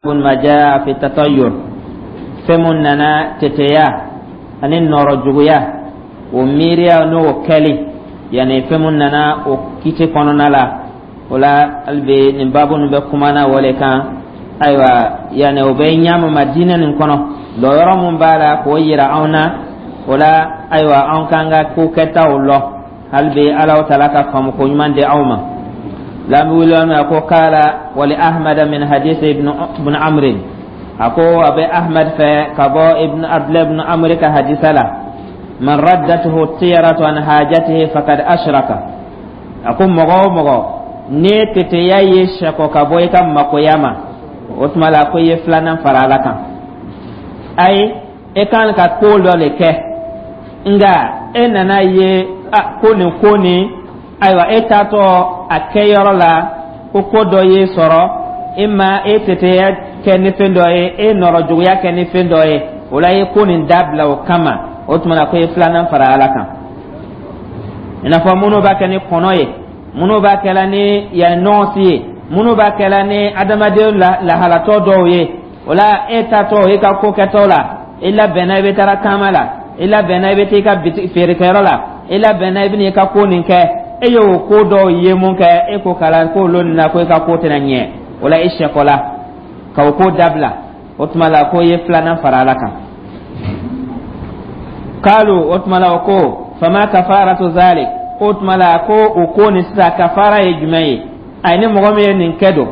Ma jaa fi tatayyur, fɛn mun nana teteya ani nɔrɔ juguya, o miiriya n'o kɛli, yani fɛn mun nana o kiti kɔnɔna la, o la hali bi nin baabu nin bɛ kumana o le kan. Ayiwa, yani o bɛ ɲa ma diinɛ nin kɔnɔ, lɔyɔrɔ mun b'a la k'o yira anw na, o la ayiwa, anw k'an ka ko kɛtaw lɔ. Hali bi Alahu Taala ka faamu ko ɲuman di aw ma. La an bɛ wuli a ko kala wali Ahmad min hadisi ibn Amrin, a ko a bɛ Ahmad fɛ ka bɔ ibn Abdullah ibn Amr ka hadisa la: man raddatuhu tiyaratu an hajatihi faqad ashraka. A ko mɔgɔ o mɔgɔ ne teteya ye sɛkɔ ka bɔ i ka makoya ma, o tuma la ko i ye filanan fara Ala kan. Ayi, e kan ka ko dɔ le kɛ, nka e nana ye a ko nin ko nin, ayiwa, e taatɔ a kɛyɔrɔ la, ko ko dɔ ye sɔrɔ e ma, e teteya kɛ ni fɛn dɔ ye, e nɔrɔ juguya kɛ ni fɛn dɔ ye, o la i ye ko nin dabila o kama, o tuma na ko i ye filanan fara Ala kan. I n'a fɔ minnu b'a kɛ ni kɔnɔ ye, minnu b'a kɛla ni yanni nɔɔsi ye, minnu b'a kɛla ni adamaden lahalatɔ dɔw ye, o la e taatɔ i ka ko kɛtɔ la, i labɛnna i bɛ taara taama la, i labɛnna i bɛ taa i ka bitigi feerekɛyɔrɔ la, i labɛnna i bɛ n'i ka ko nin kɛ, e y'o ko dɔw ye mun kɛ, e ko kala ko olu na ko i ka ko tɛna ɲɛ, o la i sɛkɔla ka o ko dabila, o tuma la ko i ye filanan fara Ala kan. Kalu, o tuma la o ko: fama kafaratu zalik? O tuma la ko o ko nin sisan, kafara ye jumɛn ye? Ayi, ni mɔgɔ min ye nin kɛ don,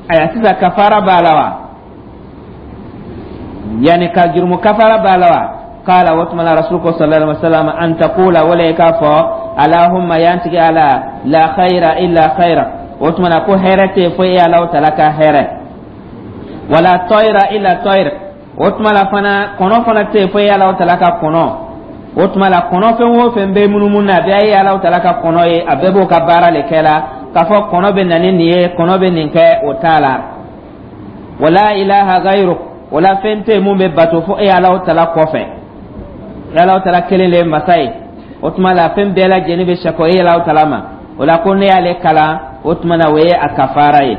ayiwa, sisan kafara b'a la wa? Yani ka jurumu kafara b'a la wa? Kala, o tuma la Rasul ko sallallahu alaihi wasallam: an taqula, wala i k'a fɔ: alahumma, yantigi Ala, la khayra illa khayra, o tuma la ko hɛrɛ tɛ fo e Alahu Taala ka hɛrɛ, wala tayra illa tayr, o tuma la fana kɔnɔ fana tɛ fo e Alahu Taala ka kɔnɔ, o tuma la kɔnɔ fɛn o fɛn bɛ munumunu na, a bɛɛ ye Alahu Taala ka kɔnɔ ye, a bɛɛ b'o ka baara le kɛ la. K'a fɔ kɔnɔ bɛ na ni nin ye, kɔnɔ bɛ nin kɛ, o t'a la. Wala ilaha gayruk, wala fɛn tɛ mun bɛ bato fo e Alahu Taala kɔfɛ, e Alahu Taala kelen le ye masa ye. O tuma la fɛn bɛɛ lajɛlen bɛ sɛkɔ e Alahu Taala ma. O la ko ne y'ale kalan, o tuma na o ye a kafara ye.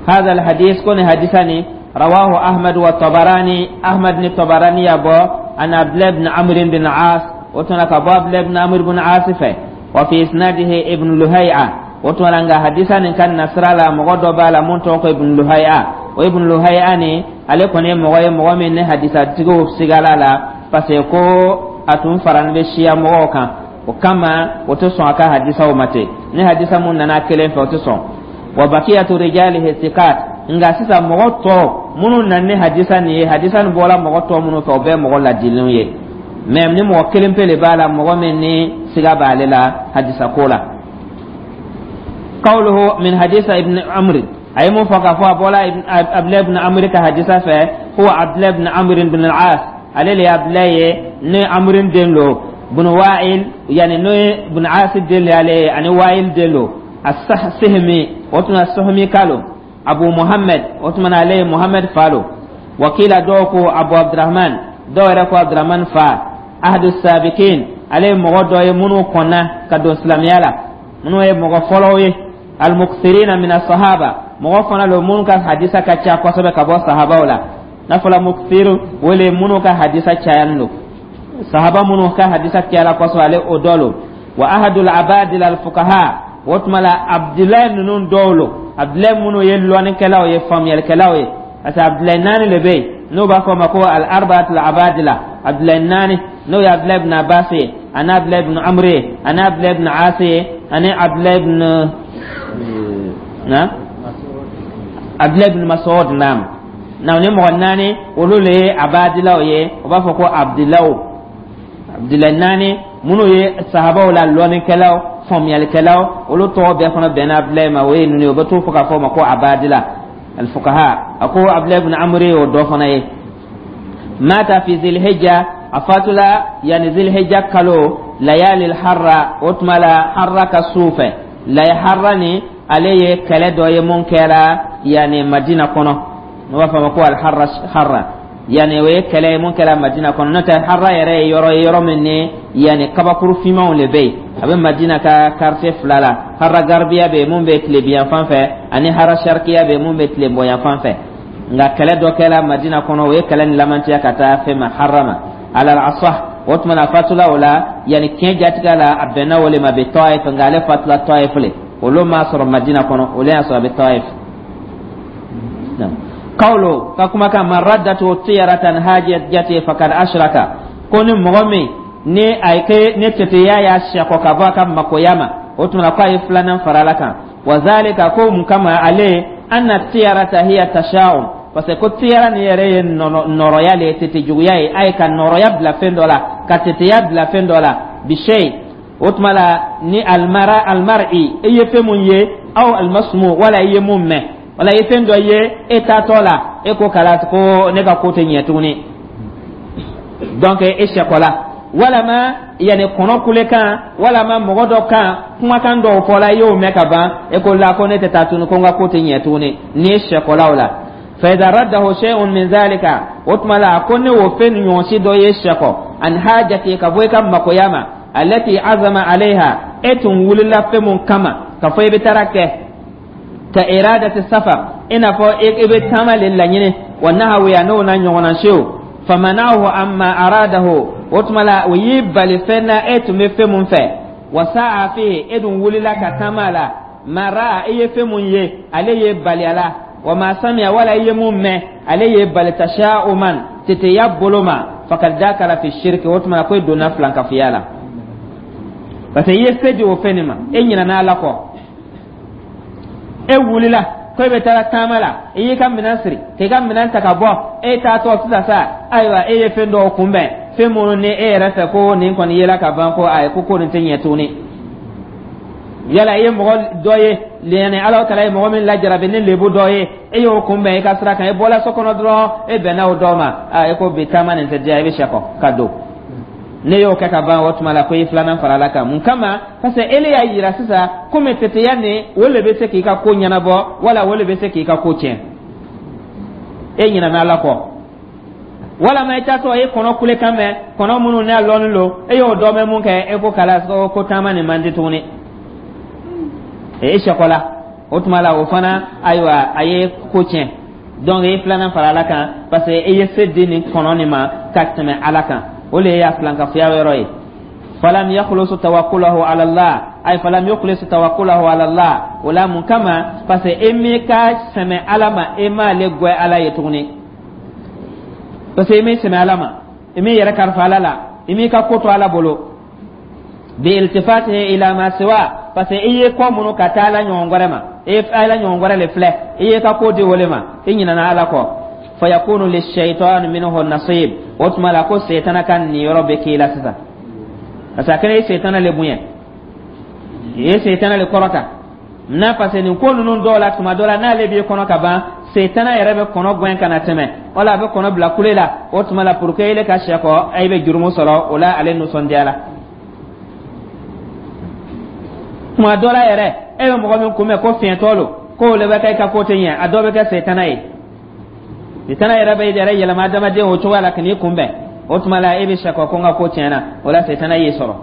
هذا الحديث كون حديثاني رواه أحمد والطبراني، أحمد ني طبراني يابو، عن عبد الله بن عمرو بن عاص، وتنا كبو عبد الله بن عمرو بن عاص، وفي إسناده ابن لهيعة، وتنا حديثاني كان نصر لا مغدو بالا من ابن لهيعة. وابن لهيعة ني ale kɔni ye mɔgɔ ye, mɔgɔ min ni hadisatigiw sigala la, parce que ko a tun farani bɛ siya mɔgɔw kan, o kama o tɛ sɔn a ka hadisaw ma ten. Ni hadisa mun nana kelen fɛ, o tɛ sɔn. Wa bakiyatu rijalihi sikat, nka sisan mɔgɔ tɔ minnu nana ni hadisa nin ye, hadisa nin bɔra mɔgɔ tɔ minnu fɛ, o bɛɛ mɔgɔ ladilenw ye. Mɛ ni mɔgɔ kelen pe de b'a la, mɔgɔ min ni siga b'ale la hadisa ko la. Qawluhu min hadisa ibn Amr, a ye mun fɔ k'a fɔ a bɔra Abdulayi ibn Amr ka hadisa fɛ, huwa Abdulayi ibn Amr ibn al-As, ale le ye Abdulayi ye, ne Amr den lo, ibn Wa'il, yani n'o ye ibn As den le ale ye, ani Wa'il den lo, as-Sihmi, o tuma Sihmi kalo, Abu Muhammad, o tuma na ale ye Muhammad fa lo. Wakila, dɔw ko Abu Abdurrahman, dɔw yɛrɛ ko Abdurrahman fa. Ahadu sabikin, ale ye mɔgɔ dɔ ye minnu kɔnna ka don silamɛya la, minnu ye mɔgɔ fɔlɔw ye. Almuksirina min sahaba, mɔgɔ fana lo minnu ka hadisa ka ca kosɛbɛ ka bɔ sahabaw la. N'a fɔla muksir, o le minnu ka hadisa cayalen don, sahaba minnu ka hadisa cayala kosɛbɛ, ale o dɔ lo. Wa ahadul abadil alfuqaha, o tuma la Abdulayi ninnu dɔw lo, Abdulayi minnu ye lɔnnikɛlaw ye, faamuyalikɛlaw ye, parce que Abdulayi naani de bɛ yen n'o b'a fɔ o ma ko al arbaatul abadila. Abdulayi naani, n'o ye Abdulayi ibn Abbas ye, ani Abdulayi ibn Amr ye, ani Abdulayi ibn As ye, ani Abdulayi ibn na Abdulayi ibn Mas'ud. Naam, na ni mɔgɔ naani, olu le ye abadilaw ye, o b'a fɔ ko Abdilaw. Abdulayi naani minnu ye sahabaw la lɔnnikɛlaw, faamuyalikɛlaw, olu tɔgɔ bɛɛ fana bɛnna Abdulayi ma, o ye ninnu ye, o bɛ t'o fɔ k'a fɔ o ma ko abadila alfuqaha. A ko Abdulayi ibn Amr ye o dɔ fana ye. Mata fi zilhijja, a fatula yani zilhijja kalo, layali harra, o tuma la harra ka su fɛ. Lay harra ni ale ye kɛlɛ dɔ ye mun kɛra yani Madina kɔnɔ, n'o b'a fɔ a ma ko alharra. Harra yani o ye kɛlɛ ye mun kɛra Madina kɔnɔ, n'o tɛ harra yɛrɛ ye yɔrɔ ye, yɔrɔ min ni yani kabakuru finmanw le bɛ yen. A bɛ Madina ka quartier fila la: harra garbiya bɛ yen mun bɛ tilebiyan fan fɛ, ani harra sharkiya bɛ yen mun bɛ tilebɔyan fan fɛ. Nka kɛlɛ dɔ kɛla Madina kɔnɔ, o ye kɛlɛ nin lamantiya ka taa fɛn ma harama alal asah. O tuma na, a fatula o la, yanni tiɲɛ jatigɛ la, a bɛnna o le ma bi Taif. Nka ale fatula Taif le, olu m'a sɔrɔ Madina kɔnɔ, olu y'a sɔrɔ a bɛ Taif. Kawlo ka kumakan man raddatu tiyaratan hajati fakad ashraka, ko ni mɔgɔ min ni a ye kɛ ni teteya y'a sɛkɔ ka bɔ a ka makoya ma, o tuma na ko a ye filanan fara Ala kan. Wa zalika, ko mun kama ale anna tiyarata hiya tasha'um, parce que ko tiyara nin yɛrɛ ye nɔrɔya le ye, tete juguya ye, a ye ka nɔrɔya bila fɛn dɔ la, ka teteya bila fɛn dɔ la bishay. O tuma la, ni almara almar'i, i ye fɛn mun ye, aw almasmu, wala i ye mun mɛn, wala i ye fɛn dɔ ye e taatɔ la, e ko kala ko ne ka ko tɛ ɲɛ tuguni, donc e sɛkɔla, walama yanni kɔnɔ kulekan, walama mɔgɔ dɔ kan kumakan dɔw fɔla, i y'o mɛn ka ban, e ko la ko ne tɛ taa tuguni, ko n ka ko tɛ ɲɛ tuguni, n'i ye sɛkɔla o la. Fa idha raddahu shay'un min zalika, o tuma la ko ne o fɛn ɲɔgɔnsi dɔ ye sɛkɔ an hajati, ka bɔ i ka makoya ma, allati azama alayha, e tun wulila fɛn mun kama ka fɔ i bɛ taara kɛ, ka iradati safar, i n'a fɔ i bɛ taama le laɲini, wa nahawiya, n'o n'a ɲɔgɔnna sew, famanahu amma aradahu, o tuma la o y'i bali fɛn na e tun bɛ fɛn mun fɛ, wa sa'a fihi, e dun wulila ka taama la, ma ra'a, i ye fɛn mun ye, ale ye bali a la, wa ma samiya, wala i ye mun mɛn, ale ye bali, tasha'uman, teteya bolo ma, fakad dakala fi shirki, o tuma la ko e donna filankafoya la, parce que i ye se di o fɛn nin ma, e ɲinɛna Ala kɔ. E wulila ko e bɛ taara taama la, i y'i ka minɛn siri k'i ka minɛn ta ka bɔ, e taatɔ sisan sa, ayiwa, e ye fɛn dɔw kunbɛn, fɛn minnu ni e yɛrɛ fɛ ko nin kɔni yela ka ban, ko ayi, ko ko nin tɛ ɲɛ tuguni. Yala i ye mɔgɔ dɔ ye, yani Ala taala ye mɔgɔ min lajarabi ni lebu dɔ ye, e y'o kunbɛn i ka sira kan, e bɔla so kɔnɔ dɔrɔn, e bɛnna o dɔ ma, aa, e ko bi taama nin tɛ diya, i bɛ sɛkɔ ka don. Ne y'o kɛ ka ban, o tuma la ko i filanan fara Ala kan. Mun kama? Parce que ele y'a yira sisan komi teteya nin, o le bɛ se k'i ka ko ɲɛnabɔ, wala o le bɛ se k'i ka ko tiɲɛ. E ɲinɛna Ala kɔ. Walama i taatɔ, e kɔnɔ kulekan mɛn, kɔnɔ minnu n'a lɔnni lo, e y'o dɔ mɛn mun kɛ, e ko kala ko taama nin man di tuguni, e sɛkɔla. O tuma la, o fana, ayiwa, a ye ko tiɲɛ. Donc i filanan fara Ala kan, parce que i ye se di nin kɔnɔ nin ma ka tɛmɛ Ala kan, o le y'a filankafoya yɔrɔ ye. Falam yakhlusu tawakkulahu ala Allah, ay falam yukhlisu tawakkulahu ala Allah. O la mun kama? Parce que e m'i ka sɛmɛ Ala ma, e m'ale gwɛ Ala ye tuguni, parce que e m'i sɛmɛ Ala ma, e m'i yɛrɛ kalifa Ala la, i m'i ka ko to Ala bolo, bi iltifatihi ila ma siwa, parce que i ye kɔ minnu ka taa Ala ɲɔgɔn wɛrɛ ma, i ye Ala ɲɔgɔn wɛrɛ le filɛ, i ye ka ko di o le ma, i ɲinɛna Ala kɔ. Fayakunu lishaitan minhu nasib, o tuma la ko setana ka niyɔrɔ bɛ k'i la sisan, parce que a kɛra i setana le bonya, i ye setana le kɔrɔta n'a, parce que nin ko ninnu dɔw la, tuma dɔ la, n'ale b'i kɔnɔ ka ban, setana yɛrɛ bɛ kɔnɔ gɛn ka na tɛmɛ, wala a bɛ kɔnɔ bila kule la. O tuma la, pour que ele ka sɛ kɔ, e bɛ jurumu sɔrɔ o la, ale nisɔndiya la. Tuma dɔ la yɛrɛ, e bɛ mɔgɔ min kunbɛn ko fiɲɛtɔ lo, k'o le bɛ kɛ i ka ko tɛ ɲɛ, a dɔ bɛ kɛ setana ye. Setana yɛrɛ bɛ yɛrɛ yɛlɛma adamaden o cogoya la ka n'i kunbɛn. O tuma la, e bɛ sɛ kɔ ko n ka ko tiɲɛna, o la setana y'i sɔrɔ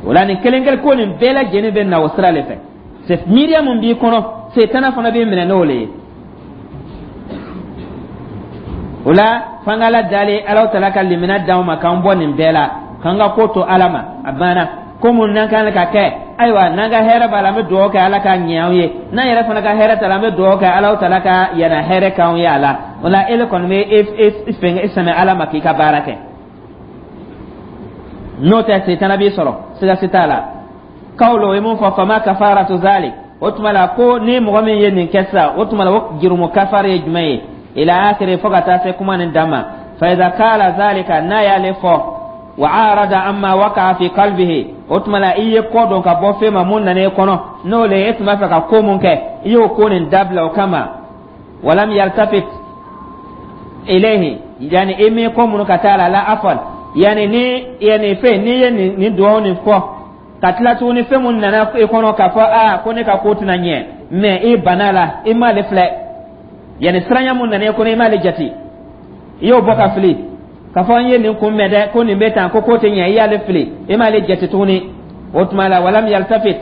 o la. Nin kelen kelen ko nin bɛɛ lajɛlen bɛ na o sira de fɛ. Miiriya mun b'i kɔnɔ, setana fana b'i minɛ n'o le ye. O la, f'an ka Ala dali, Ala taala ka limina d'anw ma k'an bɔ nin bɛɛ la, k'an ka ko to Ala ma. A banna. Ko mun n'an kan ka kɛ, ayiwa, n'an ka hɛrɛ b'a la, an bɛ dugawu kɛ Ala ka ɲɛ anw ye. N'an yɛrɛ fana ka hɛrɛ t'a la, an bɛ dugawu kɛ Ala taala ka yana hɛrɛ k'anw ye a la. O la, ele kɔni bɛ e fɛn e sɛmɛ Ala ma k'i ka baara kɛ, n'o tɛ setana b'i sɔrɔ, siga si t'a la. Kawlo, o ye mun fɔ? Fama kafaratu zalik, o tuma la ko ni mɔgɔ min ye nin kɛ sisan, o tuma la o jurumu kafari ye jumɛn ye? Ila akhiri, fo ka taa se kuma nin dan ma. Fa idha kala zalika, n'a y'ale fɔ, wa arada amma waqa'a fi qalbihi, o tuma la i ye kɔ dɔn ka bɔ fɛn ma mun nana e kɔnɔ, n'o le e tun b'a fɛ ka ko mun kɛ, i y'o ko nin dabila o kama, walam yaltafit ilayhi, yani i m'i kɔ minnu ka taa la la afwan, yani ni yani fɛn n'i ye nin duwawu nin fɔ ka tila tuguni, fɛn mun nana e kɔnɔ k'a fɔ aa ko ne ka ko tɛna ɲɛ, mɛ i banna la, i m'ale filɛ, yani siranya mun nana e kɔnɔ, i m'ale jate, i y'o bɔ ka fili k'a fɔ n ye nin kun mɛn dɛ, ko nin bɛ tan, ko ko tɛ ɲɛ, i y'ale fili, i m'ale jate tuguni. O tuma la, walam yaltafit,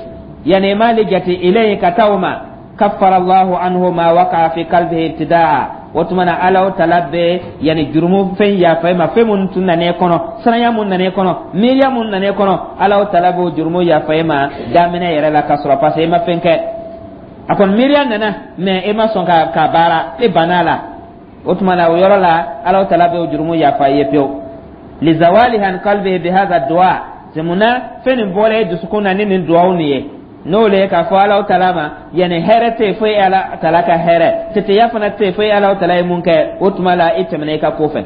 yani i m'ale jate ilayhi, ka taa o ma. Kaffara Allahu anhu ma waqa'a fi qalbihi ibtida'a. O tuma na, Ala tala bɛ yani jurumu fɛn yafa i ma, fɛn mun tun nana e kɔnɔ, siranya mun nana e kɔnɔ, miiriya mun nana e kɔnɔ, Ala tala b'o jurumu yafa i ma daminɛ yɛrɛ la, ka sɔrɔ parce que i ma fɛn kɛ. A kɔni miiriya nana, mais e ma sɔn ka baara, e banna a la. O tuma na, o yɔrɔ la, Ala tala b'o jurumu yafa i ye pewu. Lizawalihi an qalbihi bihadha du'a. C'est munna fɛn nin bɔra e dusukun na ni nin duwawu nin ye, n'o le ye k'a fɔ Ala tala ma, yani hɛrɛ tɛ yen fo e Ala tala ka hɛrɛ, teteya fana tɛ yen fo e Ala tala ye mun kɛ. O tuma la, i tɛmɛna i ka ko fɛ.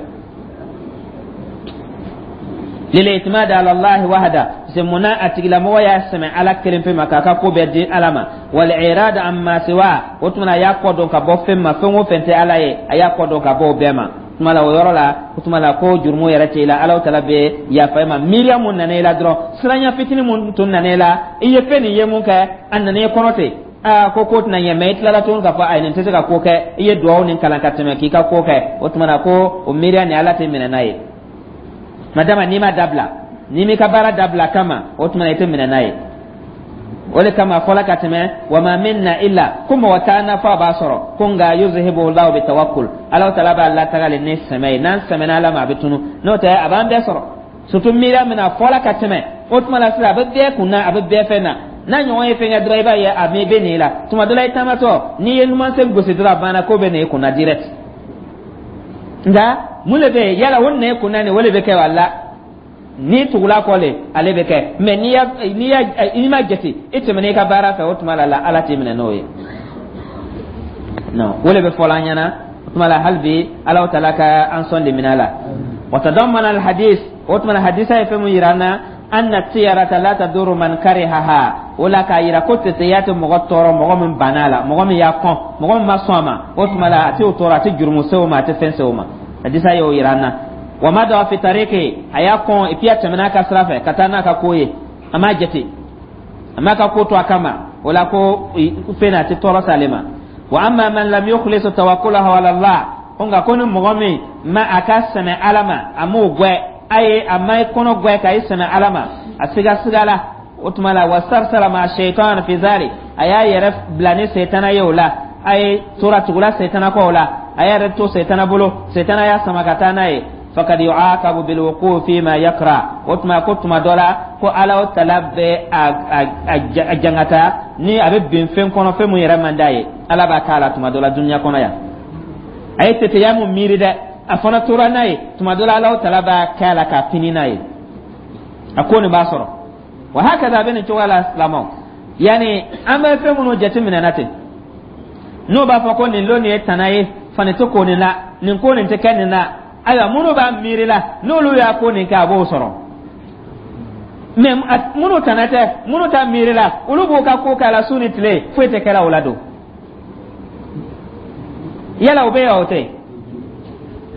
Lil-i'timad ala Allahi wahda. C'est munna a tigilamɔgɔ y'a sɛmɛ Ala kelen pe ma, k'a ka ko bɛɛ di Ala ma. Wal irad amma siwa. O tuma na, a y'a kɔ dɔn ka bɔ fɛn ma, fɛn o fɛn tɛ Ala ye, a y'a kɔ dɔn ka bɔ o bɛɛ ma. Tuma la, o yɔrɔ la, o tuma la, ko jurumu yɛrɛ tɛ i la. Ala tala bɛ yafa i ma miiriya mun nana i la dɔrɔn, siranya fitinin mun tun nana i la, i ye fɛn nin ye mun kɛ, a nana i kɔnɔ ten, aa, ko tɛna ɲɛ. Mais i tilala tuguni k'a fɔ ayi, nin tɛ se ka ko kɛ, i ye duwawu nin kalan ka tɛmɛ k'i ka ko kɛ. O tuma na, ko o miiriya nin, Ala tɛ minɛ n'a ye. Madama n'i ma dabila, n'i m'i ka baara dabila kama, o tuma na, i tɛ minɛ n'a ye. O de kama a fɔla ka tɛmɛ, wa ma minna illa, ko mɔgɔ t'an na fɔ a b'a sɔrɔ ko, nka yuzhibu Allahu bi tawakkul, Ala taala b'a lataga ni sɛmɛ ye. N'an sɛmɛna Ala ma, a bɛ tunu. N'o tɛ, a b'an bɛɛ sɔrɔ, surtout miiriya min na a fɔla ka tɛmɛ. O tuma la sisan, a bɛ bɛɛ kun na, a bɛ bɛɛ fɛn na. N'a ɲɔgɔn ye fɛn kɛ dɔrɔn, i b'a ye a bɛ nin la. Tuma dɔ la, i taamatɔ, n'i ye numansen gosi dɔrɔn, a banna, ko bɛ nin i kun na direct. Nka mun de bɛ yen? Yala o nɛ kun na nin, o de bɛ kɛ wa? La, n'i tugula kɔ le, ale bɛ kɛ. Mais n'i y'a n'i ma jate, i tɛmɛna i ka baara fɛ, o tuma la Ala t'i minɛ n'o ye. Non, o de bɛ fɔla an ɲɛna. O tuma la, hali bi, Ala taala ka an sɔn de minɛ la. Wa tadammana alhadis. O tuma la, hadisa ye fɛn mun yira an na? Anna tiyarata la taduru man karihaha. O la, k'a yira ko teteya tɛ mɔgɔ tɔɔrɔ, mɔgɔ min banna a la, mɔgɔ min y'a kɔn, mɔgɔ min ma sɔn a ma. O tuma la, a tɛ o tɔɔrɔ, a tɛ jurumu se o ma, a tɛ fɛn se o ma. Hadisa y'o yira an na. Wa mada fi tariki, a y'a kɔn et puis a tɛmɛna a ka sira fɛ ka taa n'a ka ko ye, a m'a jate, a m'a ka ko to a kama. O la, ko fɛn a tɛ tɔɔrɔ s'ale ma. Wa amma man lam yukhlis tawakkulahu ala Allah, ko nka ko ni mɔgɔ min ma a ka sɛmɛ Ala ma, a m'o gwɛ a ye, a ma i kɔnɔ gwɛ ka i sɛmɛ Ala ma, a siga siga la, o tuma la, wa sarsara ma shaitan fi zalik, a y'a yɛrɛ bila ni setana ye o la, a ye tora tugula setana kɔ o la, a y'a yɛrɛ to setana bolo, setana y'a sama ka taa n'a ye, fakad yu'aqabu bil wuqu fi ma yakra. O tuma ko tuma dɔ la, ko Ala o tala bɛ a jangata ni a bɛ bin fɛn kɔnɔ, fɛn mun yɛrɛ man d'a ye. Ala b'a k'a la tuma dɔ la dunuya kɔnɔ yan. A ye teteya mun miiri dɛ, a fana tora n'a ye. Tuma dɔ la, Ala o tala b'a kɛ a la k'a pini n'a ye, a ko nin b'a sɔrɔ. Wa hakaza, a bɛ nin cogoya la. Silamɛw, yanni an bɛ fɛn minnu jateminɛ na ten, n'o b'a fɔ ko nin lon nin ye tana ye, fani tɛ ko nin la, nin ko nin tɛ kɛ nin la. Ayiwa, minnu b'a miiri la, n'olu y'a ko nin kɛ, a b'o sɔrɔ. Mais minnu tana tɛ, minnu t'a miiri la, olu b'o ka ko k'a la su ni tile, foyi tɛ kɛla o la don. Yala o bɛ yan, o tɛ yen?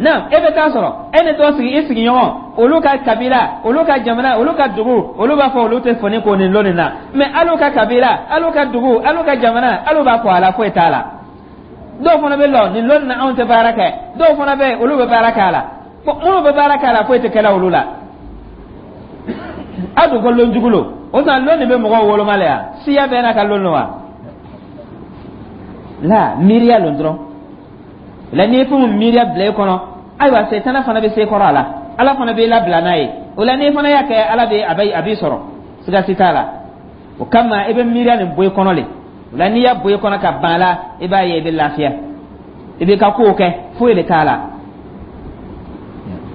Non, e bɛ taa sɔrɔ e ni dɔ sigi, i sigiɲɔgɔn, olu ka kabila, olu ka jamana, olu ka dugu, olu b'a fɔ olu tɛ foni ko nin lon nin na. Mais alu ka kabila, alu ka dugu, alu ka jamana, alu b'a fɔ a la, foyi t'a la. Dɔw fana bɛ lɔ nin lon nin na, anw tɛ baara kɛ. Dɔw fana bɛ yen, olu bɛ baara kɛ a la. Bon, minnu bɛ baara kɛ a la, foyi tɛ kɛla olu la. Aw dun ko lon jugu lo. O tuma, lon nin bɛ mɔgɔw woloma la yan, siya bɛɛ n'a ka lon don wa? La, miiriya lon dɔrɔn la. N'i ye fɛn min miiriya bila i kɔnɔ, ayiwa, setana fana bɛ se kɔrɔ a la, Ala fana b'i labila n'a ye o la. N'i fana y'a kɛ, Ala bɛ a b'i sɔrɔ, siga si t'a la. O kama, i bɛ miiriya nin bɔ i kɔnɔ le. O la, n'i y'a bɔ i kɔnɔ ka ban a la, i b'a ye i bɛ lafiya, i b'i ka kow kɛ, foyi de t'a la.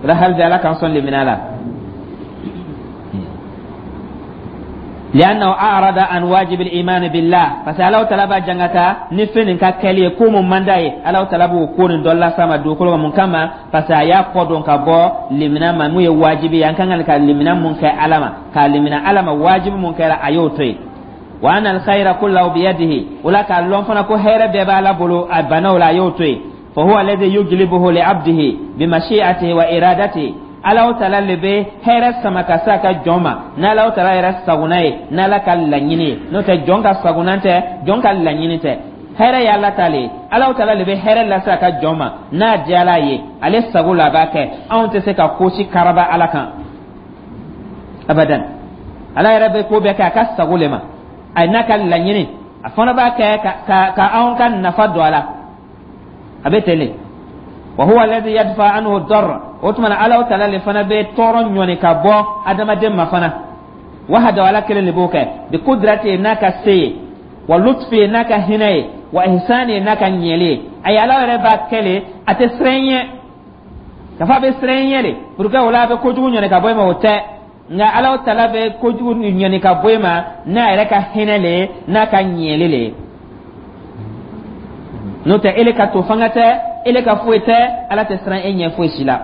O la, hali bi, Ala k'an sɔn lemina la. Liannahu a'rada an wajib al-iman billah, parce que Ala taala b'a jangata ni fɛn nin ka kɛli ye, ko mun man d'a ye, Ala taala b'o ko nin dɔ las'a ma dugukolo kan. Mun kama? Parce que a y'a kɔ dɔn ka bɔ limina ma, mun ye wajibi ye, an kan ka limina mun kɛ Ala ma, k'a limina Ala ma, wajibi mun kɛra, a y'o to yen. Wa anna al-khayra kullahu biyadihi. O la, k'a lɔn fana ko hɛrɛ bɛɛ b'Ala bolo, a banna o la, a y'o to yen. Fa huwa alladhi yujlibuhu li abdihi bi mashi'atihi wa iradatihi. Ala taala le bɛ hɛrɛ sama ka se a ka jɔn ma n'Ala taala yɛrɛ sagona ye, n'Ala ka laɲini ye. N'o tɛ, jɔn ka sagona tɛ, jɔn ka laɲini tɛ. Hɛrɛ ye Ala ta le ye. Ala taala le bɛ hɛrɛ lase a ka jɔn ma n'a diyala ye, ale sago la a b'a kɛ. Anw tɛ se ka ko si karaba Ala kan abadan. Ala yɛrɛ bɛ ko bɛɛ kɛ a ka sago le ma, a n'a ka laɲini. A fana b'a kɛ ka anw ka nafa don a la. A bɛ ten de. Wa huwa alladhi yadfa anhu darra. O tuma na, Alahu Taala le fana bɛ tɔɔrɔ ɲɔni ka bɔ adamaden ma fana. Wahdahu, Ala kelen de b'o kɛ, bi kudrati, n'a ka se ye, wa lutfi, n'a ka hinɛ ye, wa ihsani, n'a ka ɲɛli ye. Ayi, Ala yɛrɛ b'a kɛ le, a tɛ siran ɲɛ ka fɔ a bɛ siran ɲɛ de pour que o la a bɛ kojugu ɲɔni ka bɔ i ma, o tɛ. Nka Ala Taala bɛ kojugu ɲɔni ka bɔ i ma n'a yɛrɛ ka hinɛ le ye, n'a ka ɲɛli le ye. N'o tɛ, ele ka to fanga tɛ, ele ka foyi tɛ, Ala tɛ siran e ɲɛ foyi si la.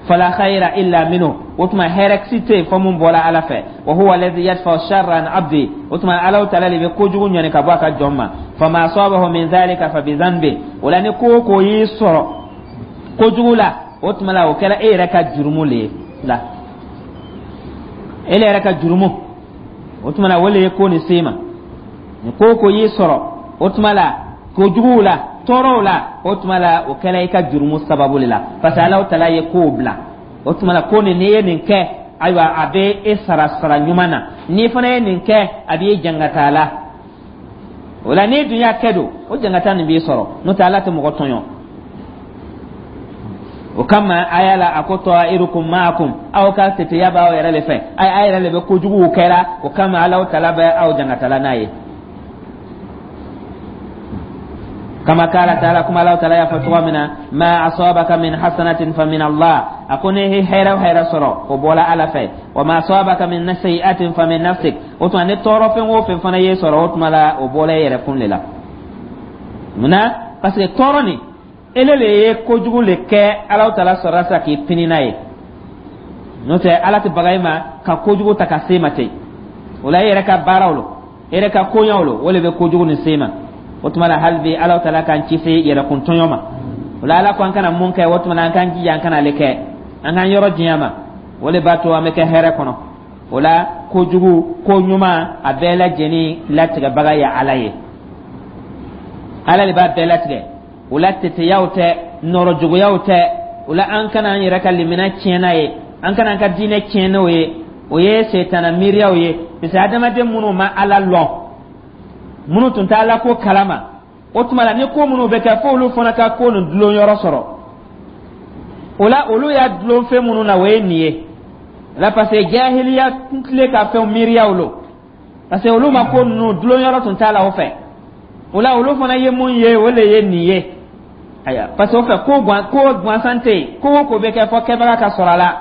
Fala khayra illa minhu. O tuma, hɛrɛ si tɛ yen fɔ mun bɔra Ala fɛ. Wa huwa alladhi yadfa sharra an abdi. O tuma, Ala Taala de bɛ kojugu ɲɔni ka bɔ a ka jɔn ma. Fama asabahu min dhalika fa bi dhanbi. O la, ni ko o ko y'i sɔrɔ kojugu la, o tuma la, o kɛra e yɛrɛ ka jurumu le ye la, e yɛrɛ ka jurumu. O tuma la, o le ye ko nin se ma. Ni ko o ko y'i sɔrɔ, o tuma la, kojuguw la, tɔɔrɔw la, o tuma la, o kɛra i ka jurumu sababu de la, parce que Ala Taala ye kow bila. O tuma la, ko nin, n'i ye nin kɛ, ayiwa, a bɛ e sara sara ɲuman na. N'i fana ye nin kɛ, a b'i jangata la. O la, n'i dun y'a kɛ don, o jangata nin b'i sɔrɔ. N'o tɛ, Ala tɛ mɔgɔ tɔɲɔ. O kama, aya la, a ko ta'irukum ma'akum, aw ka teteya b'aw yɛrɛ de fɛ. Ayi, aw yɛrɛ de bɛ kojuguw kɛra, o kama Ala Taala bɛ aw jangatala n'a ye. Kama kala taala, kuma Ala Taala y'a fɔ cogo min na: ma asabaka min hasanatin fa min Allah. A ko ne ye hɛrɛ o hɛrɛ sɔrɔ, o bɔra Ala fɛ. Wa ma asabaka min sayi'atin fa min nafsik. O tuma, ni tɔɔrɔ fɛn o fɛn fana ye sɔrɔ, o tuma la, o bɔra e yɛrɛ kun de la. Munna? Parce que tɔɔrɔ nin, ele le ye kojugu le kɛ, Ala Taala sɔrɔla sisan k'i pini n'a ye. N'o tɛ, Ala tɛ baga i ma ka kojugu ta ka se ma ten. O la, e yɛrɛ ka baaraw lo, e yɛrɛ ka koɲaw lo, o le bɛ kojugu nin se ma. O tuma la, hali bi, Ala Taala k'an kisi yɛrɛkun tɔɲɔ ma. O la, Ala ko an kana mun kɛ, o tuma la, an k'an jija an kana ale kɛ, an k'an yɔrɔ janya ma. O le b'a to an bɛ kɛ hɛrɛ kɔnɔ. O la, kojugu, ko ɲuman, a bɛɛ lajɛlen latigɛbaga ye Ala ye. Ala de b'a bɛɛ latigɛ. O la, teteyaw tɛ, nɔrɔ juguyaw tɛ. O la, an kana an yɛrɛ ka limina tiɲɛ n'a ye, an kana an ka diinɛ tiɲɛ n'o ye. O ye setana miiriyaw ye, parce que adamaden minnu ma Ala lɔn, minnu tun tɛ Ala ko kalama, o tuma la, ni ko minnu bɛ kɛ, fo olu fana ka ko nin dulon yɔrɔ sɔrɔ. O la, olu y'a dulon fɛn minnu na, o ye nin ye la, parce que jahiliya tile ka fɛnw miiriyaw lo, parce que olu ma ko ninnu dulon yɔrɔ tun t'a la o fɛ. O la, olu fana ye mun ye, o le ye nin ye. Ayiwa, parce que o fɛ, ko gan ko gansan tɛ yen. Ko o ko bɛ kɛ, fɔ kɛbaga ka sɔrɔ a la.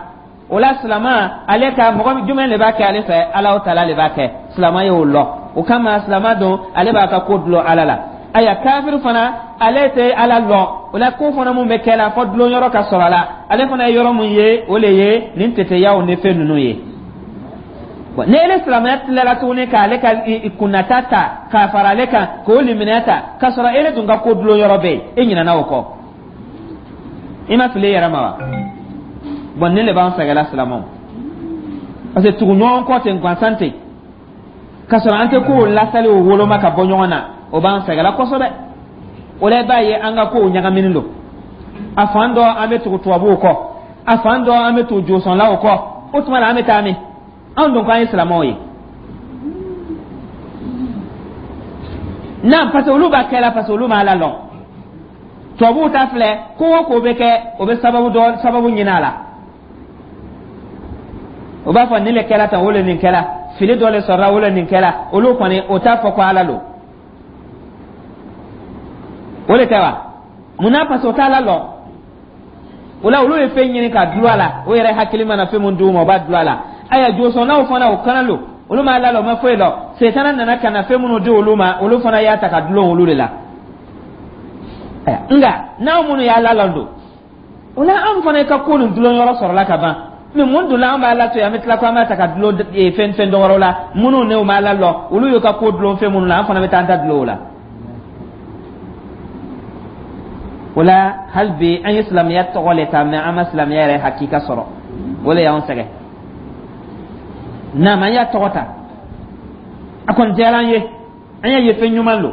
O la, silama, ale ka mɔgɔ jumɛn de b'a kɛ ale fɛ? Ala Taala de b'a kɛ. Silama y'o lɔ, o kama silama don, ale b'a ka ko dulon Ala la. Ayiwa, kafiri fana, ale tɛ Ala lɔn. O la, ko fana mun bɛ kɛ la, fɔ dulon yɔrɔ ka sɔrɔ a la. Ale fana ye yɔrɔ mun ye, o le ye nin teteyaw ni fɛn ninnu ye. Ni ele silamɛya tilala tuguni k'ale ka kunnata ta k'a fara ale kan, k'o limaniya ta, k'a sɔrɔ ele dun ka ko dulon yɔrɔ bɛ yen, e ɲinɛna o kɔ, i ma fili i yɛrɛ ma wa? Bon, nin de b'an sɛgɛnla, silamɛw, parce que tugu ɲɔgɔn kɔ ten gansan ten, k'a sɔrɔ an tɛ kow lasali o woloma ka bɔ ɲɔgɔn na, o b'an sɛgɛnla kosɛbɛ. O la, i b'a ye an ka kow ɲagaminen don. A fan dɔ, an bɛ tugu tubabuw kɔ, a fan dɔ, an bɛ tugu josɔnlaw kɔ. O tuma la, an bɛ taa min? Anw dun k'an ye silamɛw ye na, parce que olu b'a kɛ la, parce que olu m'a la lɔn. Tubabuw ta filɛ, ko o ko bɛ kɛ, o bɛ sababu dɔ sababu ɲini a la. O b'a fɔ nin le kɛra tan, o le nin kɛra, fili dɔ le sɔrɔla, o le nin kɛra. Olu kɔni, o t'a fɔ ko Ala lo. O le tɛ wa? Munna? Parce que o t'a la lɔn. O la, olu ye fɛn ɲini ka dulon a la. O yɛrɛ hakili mana fɛn mun d'u ma, o b'a dulon a la. Ayiwa, josɔnnaw fana, o kana lo, olu m'a la lɔn, o ma foyi lɔn. Setana nana ka na fɛn minnu di olu ma, olu fana y'a ta ka dulon olu de la. Nka n'anw minnu y'a la lɔn don, o la, an fana ka ko nin dulon yɔrɔ sɔrɔla ka ban. Mais mun dun la an b'a la to yen, an bɛ tila ko an b'a ta ka dulon fɛn fɛn dɔ wɛrɛw la? Minnu n'u m'a la lɔn, olu y'u ka ko dulon fɛn minnu la, an fana bɛ taa an ta dulon o la. O la, hali bi, an ye silamɛya tɔgɔ le ta, mais an ma silamɛya yɛrɛ hakika sɔrɔ. O le y'anw sɛgɛn. Naam, an y'a tɔgɔ ta, a kɔni diyara an ye, an y'a ye fɛn ɲuman lo,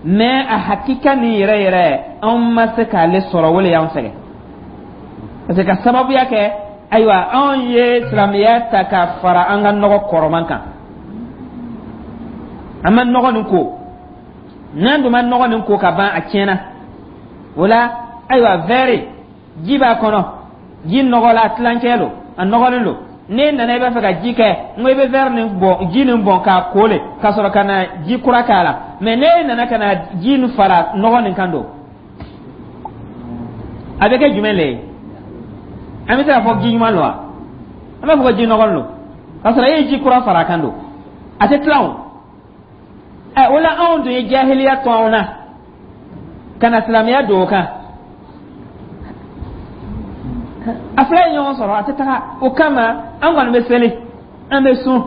mais a hakika nin yɛrɛ yɛrɛ, anw ma se k'ale sɔrɔ. O le y'anw sɛgɛn, parce que ka sababuya kɛ, ayiwa, anw ye silamɛya ta ka fara an ka nɔgɔ kɔrɔman kan. An ma nɔgɔ nin ko, n'an dun ma nɔgɔ nin ko ka ban, a tiɲɛna. O la, ayiwa, verre ji b'a kɔnɔ, ji nɔgɔla, a tilancɛ lo, a nɔgɔlen lo. N'e nana i b'a fɛ ka ji kɛ, n ko i bɛ verre nin bɔn, ji nin bɔn k'a ko le, ka sɔrɔ ka na ji kura k'a la. Mais n'e nana ka na ji nin fara nɔgɔ nin kan don, a bɛ kɛ jumɛn le ye? An bɛ se k'a fɔ ji ɲuman lo wa? An b'a fɔ ko ji nɔgɔ lo, k'a sɔrɔ e ye ji kura fara a kan don, a tɛ tilan o. Ɛ, o la anw dun ye jahiliya to anw na ka na silamɛya don o kan, a fila ye ɲɔgɔn sɔrɔ, a tɛ taga. O kama an kɔni bɛ seli, an bɛ sun,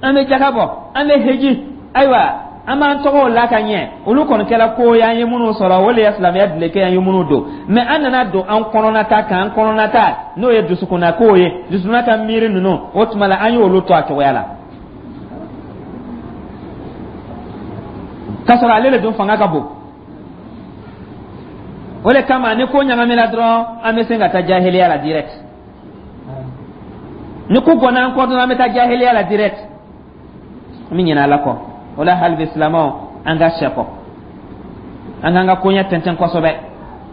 an bɛ jaka bɔ, an bɛ heji, ayiwa, an b'an tɔgɔw la ka ɲɛ. Olu kɔni kɛra ko ye an ye minnu sɔrɔ, o de ye silamɛya duleke an ye minnu don. Mais an nana don an kɔnɔnata kan, an kɔnɔnata n'o ye dusukunnakow ye, dusukunna ka miiri ninnu, o tuma la an y'olu to a cogoya la, k'a sɔrɔ ale de dun fanga ka bon. O de kama ni ko ɲagamina dɔrɔn, an bɛ se ka taa jahiliya la direct. Ni ko gɔnna an kɔ dɔrɔn, an bɛ taa jahiliya la direct, an bɛ ɲinɛ Ala kɔ. O la, hali bi silamɛw, an ka sɛkɔ, an k'an ka koɲɛ tɛntɛn kosɛbɛ.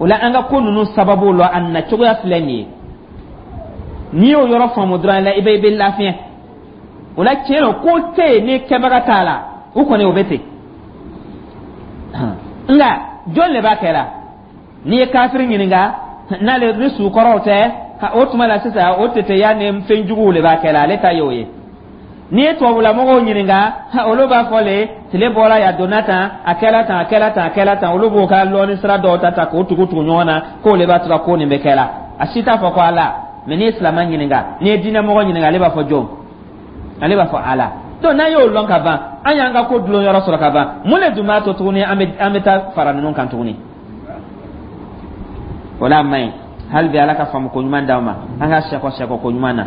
O la, an ka ko ninnu sababu lɔ a na cogoya filɛ nin ye. N'i y'o yɔrɔ faamu dɔrɔn la, i bɛ lafiɲɛ. O la, tiɲɛ don, ko tɛ yen ni kɛbaga t'a la, o kɔni o bɛ ten. Nka jɔn de b'a kɛ la? N'i ye kafiri ɲininka, n'ale ni sukɔrɔw tɛ, o tuma la sisan o teteya ni fɛn juguw de b'a kɛ la, ale ta y'o ye. N'i ye tubabulamɔgɔw ɲininka, olu b'a fɔ le tile bɔra yan, donna tan, a kɛla tan, a kɛla tan, a kɛla tan. Olu b'o ka lɔnni sira dɔw ta ta k'o tugu tugu ɲɔgɔn na, k'o le b'a to ka ko nin bɛ kɛ la. A si t'a fɔ ko Ala. Mais n'i ye silamɛ ɲininka, n'i ye diinɛmɔgɔ ɲininka, ale b'a fɔ jɔn? Ale b'a fɔ Ala. Donc n'an y'o lɔn ka ban, an y'an ka ko dulon yɔrɔ sɔrɔ ka ban. Mun de dun b'a to tuguni an bɛ taa fara ninnu kan tuguni? O la, a man ɲi. Hali bi, Ala ka faamu ko ɲuman d'aw ma, an ka sɛkɔ sɛkɔ ko ɲuman na.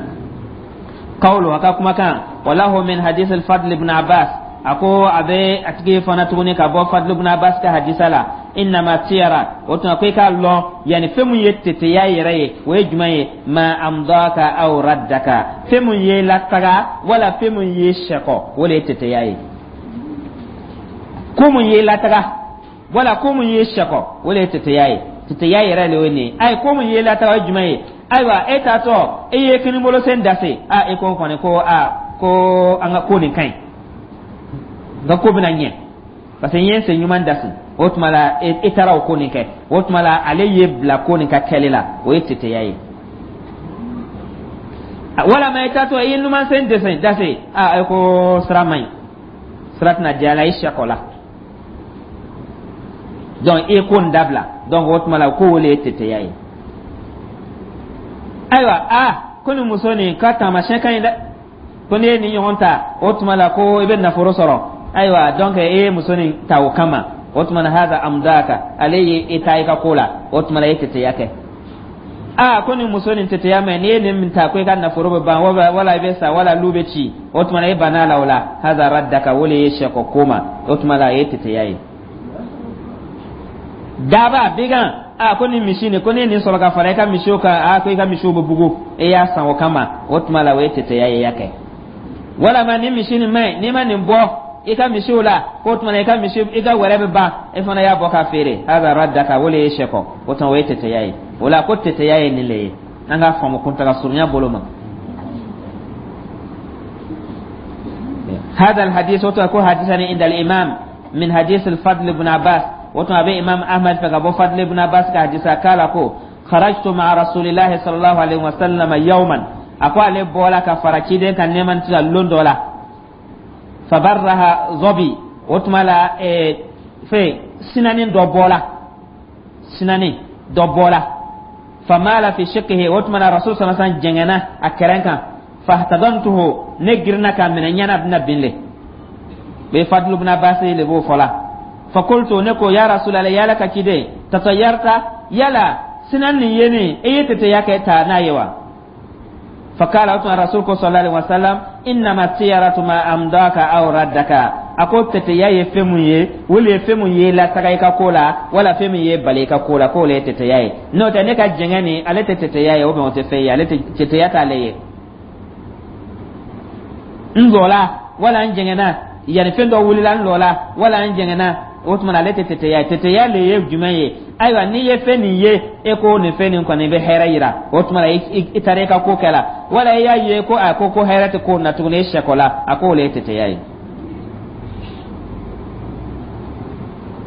Qawlu, a ka kumakan, walahu min hadith al-Fadl ibn Abbas, a ko a bɛ a tigi fana tuguni ka bɔ Fadl ibn Abbas ka hadisa la: innama tiyara, o tuma ko i k'a lɔn, yanni fɛn mun ye teteya yɛrɛ ye, o ye jumɛn ye? Ma amdaka aw raddaka, fɛn mun ye lataga wala fɛn mun ye sɛkɔ, o de ye teteya ye. Ko mun ye lataga wala ko mun ye sɛkɔ, o de ye teteya ye. Teteya yɛrɛ de ye nin ye. Ayi, ko mun ye lataga, o ye jumɛn ye? Ayiwa, e taatɔ, e ye kinibolo sen dase, a e ko kɔni ko a ko an ka ko nin ka ɲi, n ka ko bɛna ɲɛ parce que n ye n sen ɲuman dasi. O tuma la e taara o ko nin kɛ, o tuma la ale ye bila ko nin ka kɛli la, o ye teteya ye. Walama e taatɔ, e ye numan sen dɛsɛ dase, a e ko sira man ɲi, sira tɛna diya la, i sɛkɔ la, donc e ko nin dabila. Donc o tuma la ko o de ye teteya ye. Ayiwa, a ko nin muso nin ka taamasiyɛn ka ɲi dɛ, ko n'i ye nin ɲɔgɔn ta, o tuma la ko i bɛ nafolo sɔrɔ. Ayiwa, donc e ye muso nin ta o kama, o tuma na haza amdaka, ale ye e ta i ka ko la, o tuma la e teteya kɛ. Aa, ko nin muso nin teteya mɛ, n'i ye nin ta ko i ka nafolo bɛ ban, wala i bɛ sa, wala lu bɛ ci, o tuma na e banna la o la, haza raddaka, o de ye sɛkɔ ko ma, o tuma la e ye teteya ye. Daba bigan, a ko nin misi nin, ko ne nin sɔrɔ ka fara i ka misiw kan, a ko i ka misiw bɛ bugu, e y'a san o kama, o tuma la o ye teteya ye, i y'a kɛ. Walama nin misi nin man ɲi, n'i ma nin bɔ i ka misiw la, k'o tuma na i ka misi, i ka wɛrɛ bɛ ban, e fana y'a bɔ k'a feere, haza raddaka, o de ye sɛkɔ, o tuma o ye teteya ye. O la, ko teteya ye nin le ye, an k'a faamu kuntaga surunya bolo ma. هذا الحديث وتكون حديثا عند الإمام من حديث الفضل بن عباس، وتو أبي إمام أحمد فقبو فضل بن عباس كحديث قال خرجت مع رسول الله صلى الله عليه وسلم يوما، أقول عليه بولا كفركيدين كان نيمان تلا دولا فبرها ظبي، وتملا إيه في سنانين دو بولا، سنانين دو بولا، فمال في شقه، وتملا رسول صلى الله عليه وسلم جننا أكرنكا، فاحتضنته، نجرنا كان من ينا بن بن بفضل بن عباس لبو فلا، فقلت نكو يا رسول الله، يا لك كده تطيرت، يلا سنن يني ايه تتياك تا نايوا؟ فقال الرسول صلى الله عليه وسلم انما الطيرة ما امضاك او ردك، ako teteya ye fɛn mun ye, o le ye fɛn mun ye lataga i ka ko la, wala fɛn min ye bali i ka ko la, k'o le ye teteya ye. N'o tɛ, ne ka jɛngɛ nin, ale tɛ teteya ye, o bɛn o tɛ fɛn ye, ale tɛ teteya t'ale ye. N jɔla wala n jɛngɛnna. Yanni fɛn dɔ wulila n lɔla wala n jɛngɛnna, o tuma na ale tɛ teteya ye. Teteya le ye jumɛn ye? Ayiwa, n'i ye fɛn nin ye, e ko nin fɛn nin kɔni bɛ hɛrɛ yira, o tuma na i taara i ka ko kɛ la, wala i y'a ye ko a ko ko hɛrɛ tɛ ko na tuguni, e sɛkɔ la, a k'o le ye teteya ye.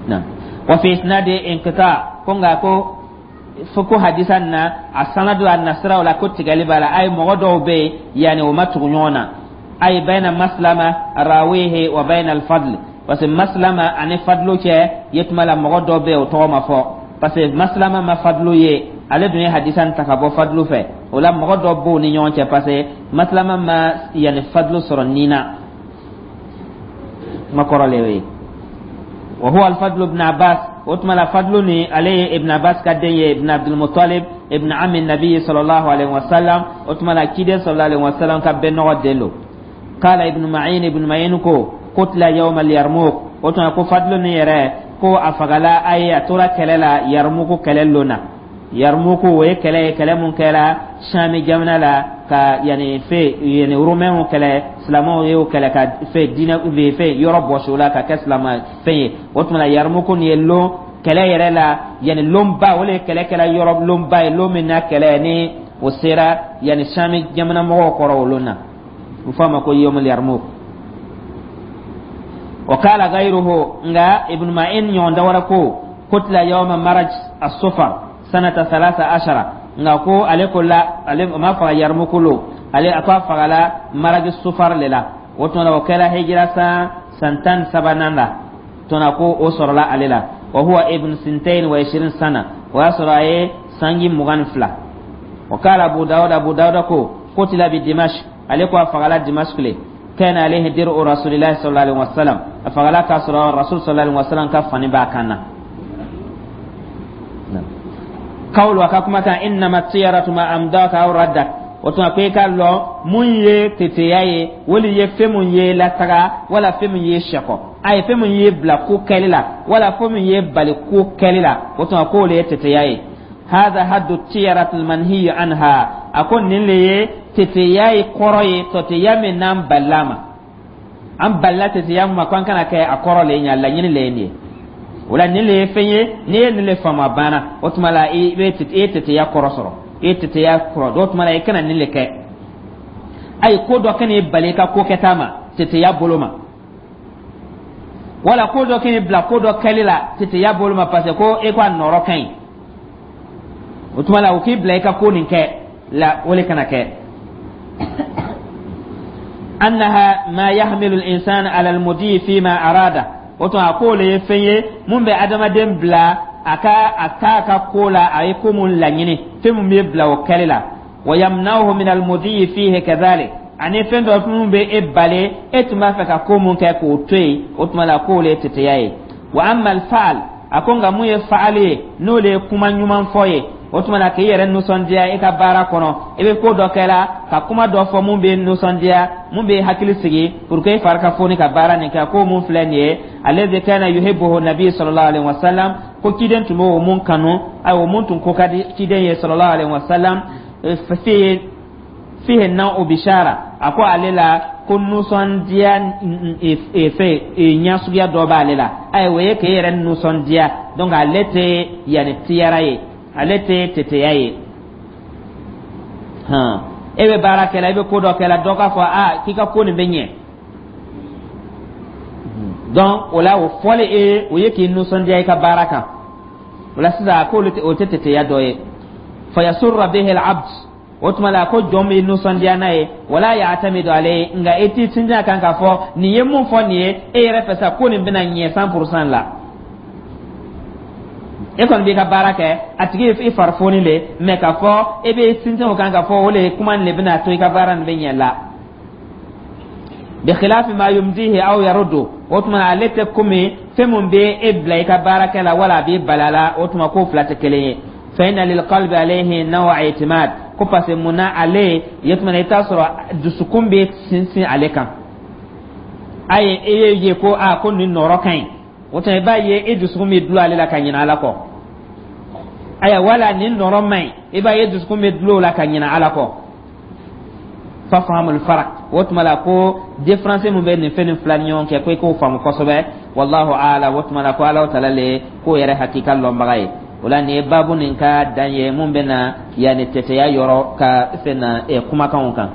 Na wa fi isnadi inqita, ko nka ko fo ko hadisa na a sanadu, a nasiraw la, ko tigɛli b'a la. Ayi, mɔgɔ dɔw bɛ yen, yanni o ma tugu ɲɔgɔn na. Ayi, bayna Maslama rawihi wa bayna al-Fadl, parce que Maslama ani Fadlu cɛ ye tuma la, mɔgɔ dɔ bɛ yen, o tɔgɔ ma fɔ, parce que Maslama ma Fadlu ye, ale dun ye hadisa ta ka bɔ Fadlu fɛ. O la mɔgɔ dɔ b'o ni ɲɔgɔn cɛ, parce que Maslama ma yanni Fadlu sɔrɔ nin na kuma kɔrɔ le ye. Wa huwa al-Fadl ibn Abbas. O tuma la Fadlu ni ale ye Ibn Abbas ka den ye, ibn Abdul Muttalib, ibn ammi nabi sallallahu alaihi wasallam. O tuma la ciden sallallahu alaihi wasallam ka bɛnɔgɔ den lo. Qala Ibn Ma'in, Ibn Ma'in ko qutila yawm al-Yarmouk. O tuma ko Fadlu ni yɛrɛ, ko a fagala a ye, a tora kɛlɛ la Yarmuku kɛlɛ lon na. Yarmuku, o ye kɛlɛ ye, kɛlɛ mun kɛra Sami jamana la, ka yanni fɛ yanni Romainw kɛlɛ. Silamɛw y'o kɛlɛ ka fɛ diinɛ fɛ yɔrɔ bɔsi o la ka kɛ silamɛ fɛn ye. O tuma na Yarmuku nin ye lon kɛlɛ yɛrɛ la, yanni lonba, o le ye kɛlɛ kɛla yɔrɔ lonba ye, lon min na kɛlɛ ni o sera yanni Sami jamana mɔgɔw kɔrɔ o lon na, u f'a ma ko yomul Yarmuk. Wa qala ghayruhu, nka Ibn Ma'in ɲɔgɔn dawara ko qutila yawma maraj as-sufar sanata 13. Nka ko ale ko la, ale ma faga Yarmuku lo, ale a ko a fagala maraj sufar le la. O tuma o kɛra hijira san 13nan la tuma ko o sɔrɔla ale la. Wa huwa ibn 22 sana, o y'a sɔrɔ a ye sanji 22. Wa qala Abu Dawud, Abu Dawud ko qutila bi Dimash, ale ko a fagala Dimashq le. Kana alayhi dir'u rasulillahi sallallahu alaihi wasallam, a fagala k'a sɔrɔ rasul sallallahu alaihi wasallam ka fani b'a kan na. Kawlu, a ka kumakan, innama tiyaratu ma amdaka aw raddak. O tuma ko i ka lɔn mun ye teteya ye, wali ye fɛn mun ye lataga, wala fɛn mun ye sɛkɔ, a ye fɛn mun ye bila ko kɛli la, wala fɛn mun ye bali ko kɛli la, o tuma k'o le ye teteya ye. Hadha haddu tiyaratu almanhiyu anha, a ko nin le ye teteya ye kɔrɔ ye, teteya min n'an balila ma, an balila teteya ma ko an kana kɛ, a kɔrɔ le ye nin ye, a laɲini le ye nin ye. O la nin le ye fɛn ye, n'i ye nin le faamu, a banna. O tuma la i bɛ i ye teteya kɔrɔ sɔrɔ, i ye teteya kɔrɔ. O tuma la i kana nin le kɛ. Ayi, ko dɔ kan'i bali i ka ko kɛta ma teteya bolo ma, wala ko dɔ kan'i bila ko dɔ kɛli la teteya bolo ma, parce que ko e ko a nɔrɔ ka ɲi. O tuma la o k'i bila i ka ko nin kɛ la, o le kana kɛ. Annaha ma yahmilu al-insan ala al-mudi fima arada. O tuma a k'o le ye fɛn ye mun bɛ adamaden bila a ka a k'a ka ko la, a ye ko mun laɲini, fɛn mun bɛ bila o kɛli la. Wa yamna'uhu min al-mudi fihi kadhalik, ani fɛn dɔ mun bɛ e bali, e tun b'a fɛ ka ko mun kɛ, k'o to yen. O tuma la k'o le ye teteya ye. Wa amma al-fa'al, a ko nka mun ye faali ye, n'o le ye kuma ɲuman fɔ ye, o tuma na k'i yɛrɛ nisɔndiya i ka baara kɔnɔ, i bɛ ko dɔ kɛ la ka kuma dɔ fɔ mun bɛ nisɔndiya, mun bɛ hakili sigi, pour que i fari ka foni ka baara nin kɛ. Ko mun filɛ nin ye, alladhi kana yuhibbuhu nabi sallallahu alaihi wasallam, ko ciden tun b'o mun kanu, ayiwa, o mun tun ko ka di ciden ye sallallahu alaihi wasallam, fihi naw'u bishara, a ko ale la ko nisɔndiya fɛ ɲɛ suguya dɔ b'ale la. Ayiwa, o ye k'e yɛrɛ nisɔndiya. Donc ale tɛ yanni tiyara ye, ale tɛ teteya ye. Hɔn, e bɛ baara kɛ la, i bɛ ko dɔ kɛ la, dɔ k'a fɔ a k'i ka ko nin bɛ ɲɛ. Donc o la o fɔli e, o ye k'i nisɔndiya i ka baara kan. O la sisan a k'olu o tɛ teteya dɔ ye. Fayasurra bihi al-abd, o tuma la ko jɔn bɛ nisɔndiya n'a ye. Wala ya'tamidu alayhi, nka e t'i sinsin a kan k'a fɔ nin ye mun fɔ nin ye, e yɛrɛ fɛ sa ko nin bɛna ɲɛ 100% la. E kɔni b'i ka baara kɛ, a tigi i fari foni le, mɛ k'a fɔ e bɛ sinsin o kan k'a fɔ o le kuma nin de bɛna to i ka baara nin bɛ ɲɛ la. Bi khilafi ma yumdihi aw yaruddu, o tuma ale tɛ komi fɛn mun bɛ e bila i ka baara kɛ la, wala a b'i bali a la. O tuma k'o fila tɛ kelen ye. Fa inna lil qalbi alayhi naw'a i'timad, ko parce que mun na ale ye tuma na i t'a sɔrɔ dusukun bɛ sinsin ale kan. A ye e ye ko a ko nin nɔrɔ ka ɲi, o tuma i b'a ye e dusukun bɛ dulon ale la ka ɲinɛ Ala kɔ. Ayiwa, wala nin nɔrɔ man ɲi, i b'a ye dusukun bɛ dulon o la ka ɲinɛ Ala kɔ. Fafhamul farq, o tuma la ko différence mun bɛ nin fɛn nin fila ni ɲɔgɔn cɛ, ko i k'o faamu kosɛbɛ. Wallahu a'lam. O tuma la ko Alahu taala le k'o yɛrɛ hakika lɔnbaga ye. O la, nin ye baabu nin ka dan ye mun bɛ na yanni tɛtɛya yɔrɔ ka fɛn na kumakanw kan.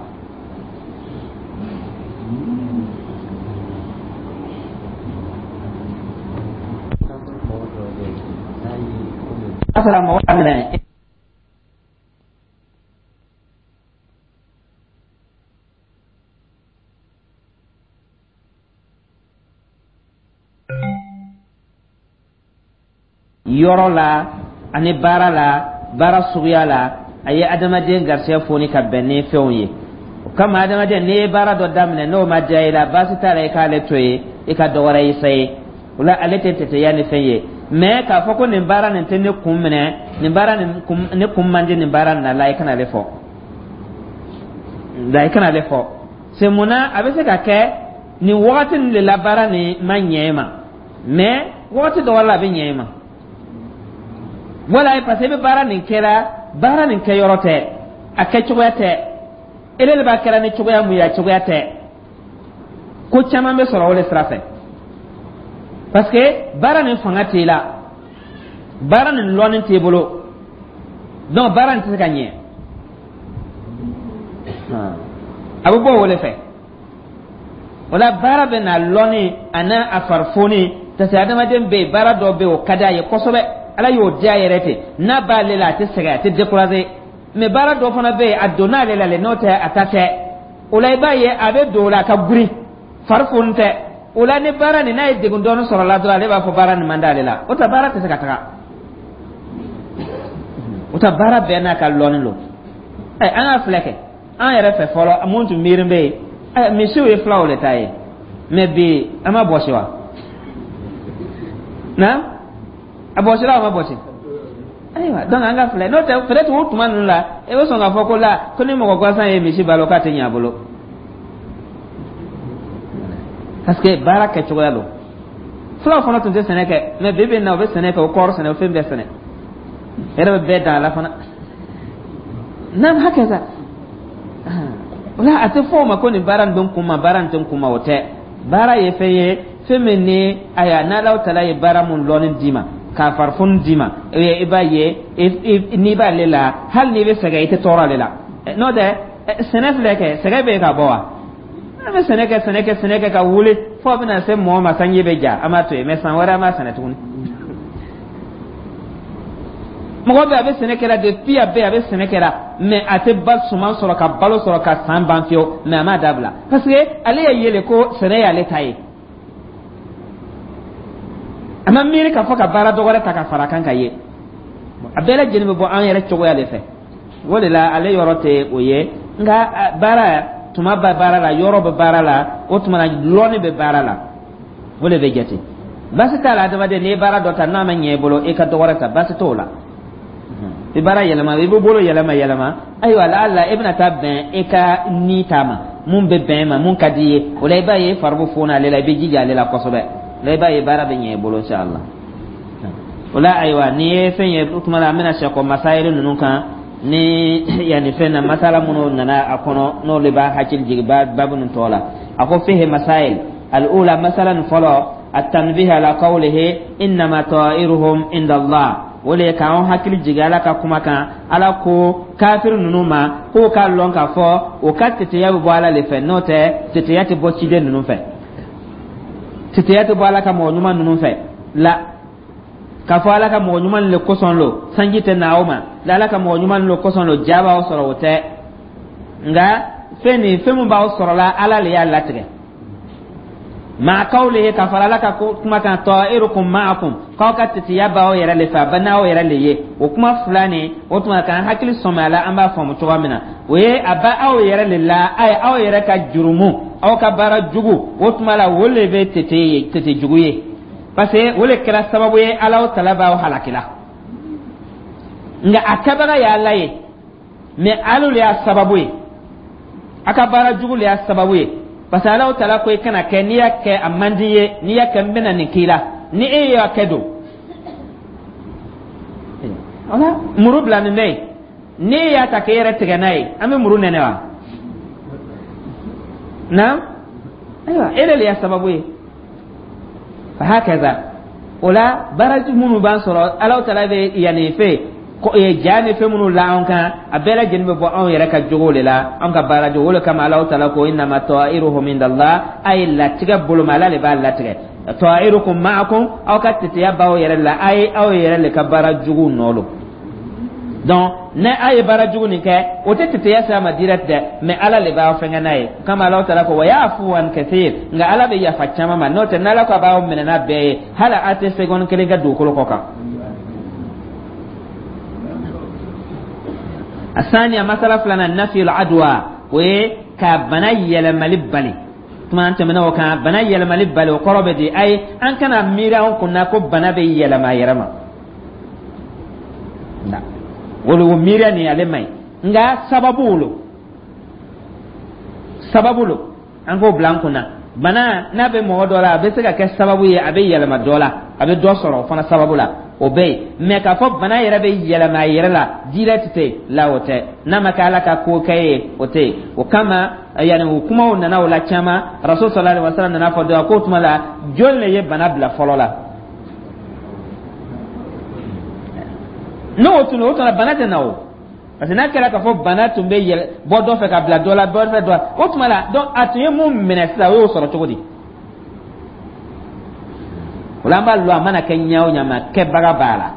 A sɔrɔ mɔgɔ minɛ yɔrɔ la ani baara la, baara suguya la, a ye adamaden garisɛgɛ foni ka bɛn ni fɛnw ye. O kama, adamaden, n'i ye baara dɔ daminɛ, n'o ma diya i la, baasi t'a la, i k'ale to yen, i ka dɔ wɛrɛ essayer. O la, ale tɛ tɛtɛya ni fɛn ye. Mais k'a fɔ ko nin baara nin tɛ ne kun minɛ, nin baara nin kun, ne kun man di nin baara nin na la, i kana ale fɔ la, i kana ale fɔ. C'est mun na a bɛ se ka kɛ nin wagati nin de la baara nin ma ɲɛ e ma, mais wagati dɔ wɛrɛ la, a bɛ ɲɛ e ma. Wala parce que i bɛ baara nin kɛra, baara nin kɛ yɔrɔ tɛ, a kɛ cogoya tɛ, ele de b'a kɛra ni cogoya mun ye, a cogoya tɛ. Ko caman bɛ sɔrɔ o de sira fɛ, parce que baara nin fanga t'e la, baara nin lɔnni t'e bolo, donc baara nin tɛ se ka ɲɛ. A bɛ bɔ o de fɛ. O la, baara bɛ na lɔnni a n'a a farifoni, parce que adamaden bɛ yen, baara dɔ bɛ yen, o ka d'a ye kosɛbɛ, Ala y'o diya yɛrɛ ten, n'a b'ale la, a tɛ sɛgɛn, a tɛ décourager. Mais baara dɔ fana bɛ yen, a donna ale la le, n'o tɛ a ta tɛ. O la, i b'a ye a bɛ don o la, a ka girin, fari foni tɛ. O la, ni baara nin n'a ye degun dɔɔni sɔrɔ la dɔrɔn, ale b'a fɔ baara nin man d'ale la. O tɛ, baara tɛ se ka taga. O tɛ, baara bɛɛ n'a ka lɔnni don. Ɛ, an ka filɛ kɛ an yɛrɛ fɛ fɔlɔ, mun tun miiri bɛ yen? Ɛ, misiw ye filaw de ta ye, mais bi an ma bɔsi wa? Na a bɔsira, o ma bɔsi. Ayiwa, donc an ka filɛ, n'o tɛ peut-être o tuma ninnu la, i bɛ sɔn k'a fɔ ko la ko ni mɔgɔ gansan ye misi balo, k'a tɛ ɲɛ a bolo, parce que baara kɛcogoya don. Fulaw fana tun tɛ sɛnɛ kɛ, mais bi bi in na, u bɛ sɛnɛ kɛ, u kɔɔri sɛnɛ, u fɛn bɛɛ sɛnɛ, yɛrɛ bɛ bɛɛ dan a la fana. N'an hakɛ sa o la, a tɛ fɔ o ma ko nin baara nin bɛ n kun ma, baara nin tɛ n kun ma. O tɛ. Baara ye fɛn ye, fɛn min ni ayiwa, n'Alahu taala ye baara mun lɔnni d'i ma, k'a farifoni d'i ma, i b'a ye n'i b'ale la, hali n'i bɛ sɛgɛn, i tɛ tɔɔrɔ ale la. N'o tɛ, sɛnɛ filɛ kɛ, sɛgɛn bɛ yen ka bɔ wa? An bɛ sɛnɛ kɛ, sɛnɛ kɛ, sɛnɛ kɛ ka wuli fo bɛna se mɔgɔ ma, sanji bɛ ja, an b'a to yen, mais san wɛrɛ an b'a sɛnɛ tuguni. Mɔgɔ bɛ a bɛ sɛnɛ kɛra depuis, a bɛ a bɛ sɛnɛ kɛra, mais a tɛ ba suman sɔrɔ ka balo sɔrɔ ka san ban fiyewu, mais a m'a dabila, parce que ale y'a yele ko sɛnɛ y'ale ta ye. A ma miiri k'a fɔ ka baara dɔ wɛrɛ ta ka fara a kan ka ye. A bɛɛ lajɛlen bɛ bɔ an yɛrɛ cogoya de fɛ. O de la, ale yɔrɔ tɛ o ye, nka baara tuma bɛ baara la, yɔrɔ bɛ baara la, o tuma na lɔnni bɛ baara la, o de bɛ jate. Baasi t'a la, adamaden, n'i ye baara dɔ ta, n'a ma ɲɛ i bolo, i ka dɔ wɛrɛ ta, baasi t'o la. I baara yɛlɛma, i bɛ bolo yɛlɛma yɛlɛma. Ayiwa, la i bɛna taa bɛn i ka ni ta ma, mun bɛ bɛn ma, mun ka di i ye. O la, i b'a ye fari bɛ foni ale la, i bɛ jija ale la kosɛbɛ. O la, i b'a ye baara bɛ ɲɛ i bolo, inshallah. O la, ayiwa, n'i ye fɛn ye, o tuma na an bɛna sɛkɔ masayiri ninnu kan ni yanni fɛn na, masala minnu nana a kɔnɔ, n'olu b'a hakili jigin babu nin tɔ la. A ko fihi masail. Al-ula, masala nin fɔlɔ, at-tanbih ala qawlihi innama ta'iruhum inda Allah. O de ye k'an hakili jigin Ala ka kuma kan. Ala ko kafiri ninnu ma k'o k'a lɔn k'a fɔ o ka teteya bɛ bɔ Ala de fɛ, n'o tɛ teteya tɛ bɔ ciden ninnu fɛ, teteya tɛ bɔ Ala ka mɔgɔ ɲuman ninnu fɛ la. K'a fɔ Ala ka mɔgɔ ɲuman le kosɔn lo sanji tɛ na aw ma la, Ala ka mɔgɔ ɲuman le kosɔn lo ja b'aw sɔrɔ, o tɛ. Nka fɛn nin, fɛn min b'aw sɔrɔ la, Ala le y'a latigɛ. Maa kawlihi, ka fara Ala ka kuma kan, ta'irukum ma'akum, k'aw ka titiya b'aw yɛrɛ le fɛ, a bɛ n'aw yɛrɛ le ye. O kuma fila nin, o tuma k'an hakili sɔmi a la, an b'a faamu cogoya min na, o ye a bɛ aw yɛrɛ le la, a ye aw yɛrɛ ka jurumu, aw ka baara jugu, o tuma la o le bɛ tete ye, tete jugu ye, parce que o le kɛra sababu ye Alahu tala b'aw halaki la. Nka a kɛbaga ye Ala ye, mais alu le y'a sababu ye, a ka baara jugu le y'a sababu ye, parce que Alahu tala ko i kana kɛ, n'i y'a kɛ a man di ye, n'i y'a kɛ n bɛna nin k'i la. Ni e y'a kɛ don wala muru bila nin bɛ yen, n'e y'a ta k'e yɛrɛ tigɛ n'a ye, an bɛ muru nɛnɛ wa? Naam, ayiwa, e de y'a sababu ye. Fahakaza, o la baaraji minnu b'an sɔrɔ, Alahu Taala bɛ yanni fɛ ja ni fɛn minnu la anw kan, a bɛɛ lajɛlen bɛ bɔ anw yɛrɛ ka jogo de la, anw ka baara jogo. O de kama Alahu Taala ko: innama ta'iruhum indallah. A ye latigɛ boloma, Ala de b'a latigɛ. Ta'irukum ma'akum, aw ka teteya b'aw yɛrɛ la, a ye aw yɛrɛ le ka baara jugu nɔ don. Donc ne a ye baara jugu nin kɛ, o tɛ teteya sira ma direct dɛ, mais Ala le b'aw fɛngɛ n'a ye. Kama Alahu Taala ko: wa ya'fu an kathir. Nka Ala bɛ yafa caman ma. N'o tɛ, n'Ala ko a b'aw minɛ n'a bɛɛ ye, hali a tɛ seconde kelen kɛ dugukolo kɔ kan. Asaniya, masala filanan, nafiyul adwa, o ye ka bana yɛlɛmali bali. Tuma an tɛmɛna o kan. Bana yɛlɛmali bali, o kɔrɔ bɛ di? Ayi, an kana miiri anw kunna ko bana bɛ yɛlɛma a yɛrɛ ma. O miiriya nin, ale man ɲi. Nka sababu lo, sababu lo, an k'o bila an kunna. Bana n'a bɛ mɔgɔ dɔ la, a bɛ se ka kɛ sababu ye a bɛ yɛlɛma dɔ la, a bɛ dɔ sɔrɔ o fana sababu la, o bɛ yen. Mɛ k'a fɔ bana yɛrɛ bɛ yɛlɛma a yɛrɛ la direct tɛ la, o tɛ. N'a ma kɛ Ala ka ko kɛ ye, o tɛ yen. O kama yanni o kumaw nana o la caman. Rasul sallallahu alaihi wa sallam nana fɔ dɔ k'o tuma la, jɔn le ye bana bila fɔlɔ la? N'o tun o tuma bana tɛ na o, parce que n'a kɛra k'a fɔ bana tun bɛ yɛlɛ bɔ dɔ fɛ ka bila dɔ la, dɔ fɛ dɔ la, o tuma la, donc a tun ye mun minɛ sisan, o y'o sɔrɔ cogo di? O la an b'a lɔn, a mana kɛ ɲɛ o ɲɛ ma, kɛbaga b'a la.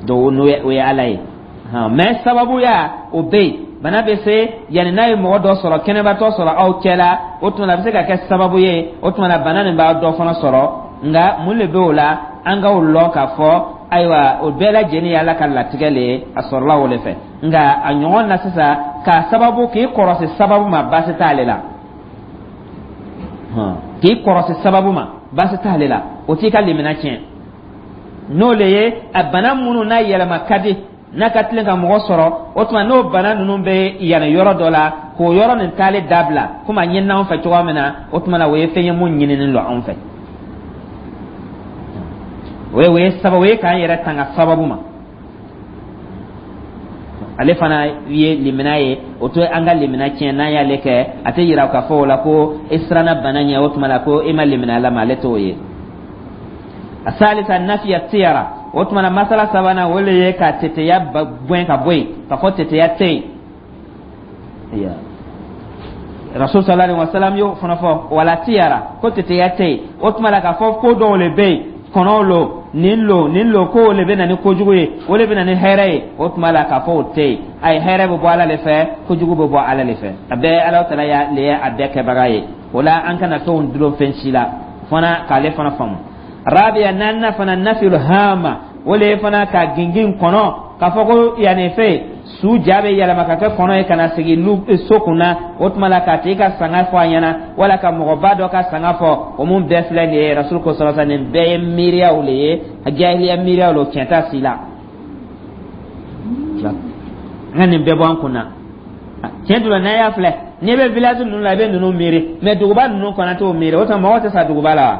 Donc n'o ye, o ye Ala ye. Mais sababuya o bɛ yen. Bana bɛ se yanni n'a ye mɔgɔ dɔ sɔrɔ, kɛnɛbatɔ sɔrɔ aw cɛ la, o tuma la a bɛ se ka kɛ sababu ye, o tuma la bana nin b'a dɔ fana sɔrɔ. Nka mun de bɛ o la? An k'o lɔn k'a fɔ ayiwa, o bɛɛ lajɛlen ye Ala ka latigɛ le ye, a sɔrɔla o de fɛ. Nka a ɲɔgɔn na sisan, k'a sababu k'i kɔrɔsi sababu ma, baasi t'ale la. K'i kɔrɔsi sababu ma, baasi t'ale la, o t'i ka limina tiɲɛ. N'o le ye a bana minnu n'a yɛlɛma ka di, n'a ka tilen ka mɔgɔ sɔrɔ, o tuma n'o bana ninnu bɛ yanni yɔrɔ dɔ la, k'o yɔrɔ nin taali dabila, komi a ɲinina anw fɛ cogoya min na, o tuma na o ye fɛn ye mun ɲininen don anw fɛ. O ye sababu ye k'an yɛrɛ tanga sababu ma. Ale fana ye limina ye, o to an ka limina tiɲɛ. N'an y'ale kɛ, a tɛ yira k'a fɔ o la ko e siranna bana ɲɛ, o tuma la ko e ma limina Ala ma, ale t'o ye. Asalisa, nafiya tiyara. O tuma na masala sabanan, o le ye ka teteya gɛn ka bɔ yen, k'a fɔ teteya tɛ yen. Rasul sallallahu alaihi wasallam y'o fana fɔ, wala tiyara, ko teteya tɛ yen. O tuma la k'a fɔ ko dɔw le bɛ yen, kɔnɔw lo, nin lo, nin lo, ko o le bɛ na ni kojugu ye, o le bɛ na ni hɛrɛ ye, o tuma la k'a fɔ o tɛ yen. Ayi, hɛrɛ bɛ bɔ Ala le fɛ, kojugu bɛ bɔ Ala le fɛ. A bɛɛ Ala Taala ya le ye a bɛɛ kɛbaga ye. O la an kana fɛnw dulon fɛn si la fana, k'ale fana faamu. Rabiya, naaninan fana, nafil hama, o le ye fana ka gingin kɔnɔ, k'a fɔ ko yanni fɛ su ja bɛ yɛlɛma ka kɛ kɔnɔ ye ka na sigi lu so kunna. O tuma la k'a tigi ka sanga fɔ a ɲɛna, wala ka mɔgɔba dɔ ka sanga fɔ, o mun bɛɛ filɛ nin ye. Rasul ko sɔrɔ, nin bɛɛ ye miiriyaw le ye, jahiliya miiriyaw le, tiɲɛ t'a si la. An ka nin bɛɛ bɔ an kunna. Tiɲɛ dun la, n'a y'a filɛ, n'i bɛ village ninnu la, i bɛ ninnu miiri, mais duguba ninnu kɔnɔ t'o miiri. O tuma mɔgɔ tɛ sa duguba la wa?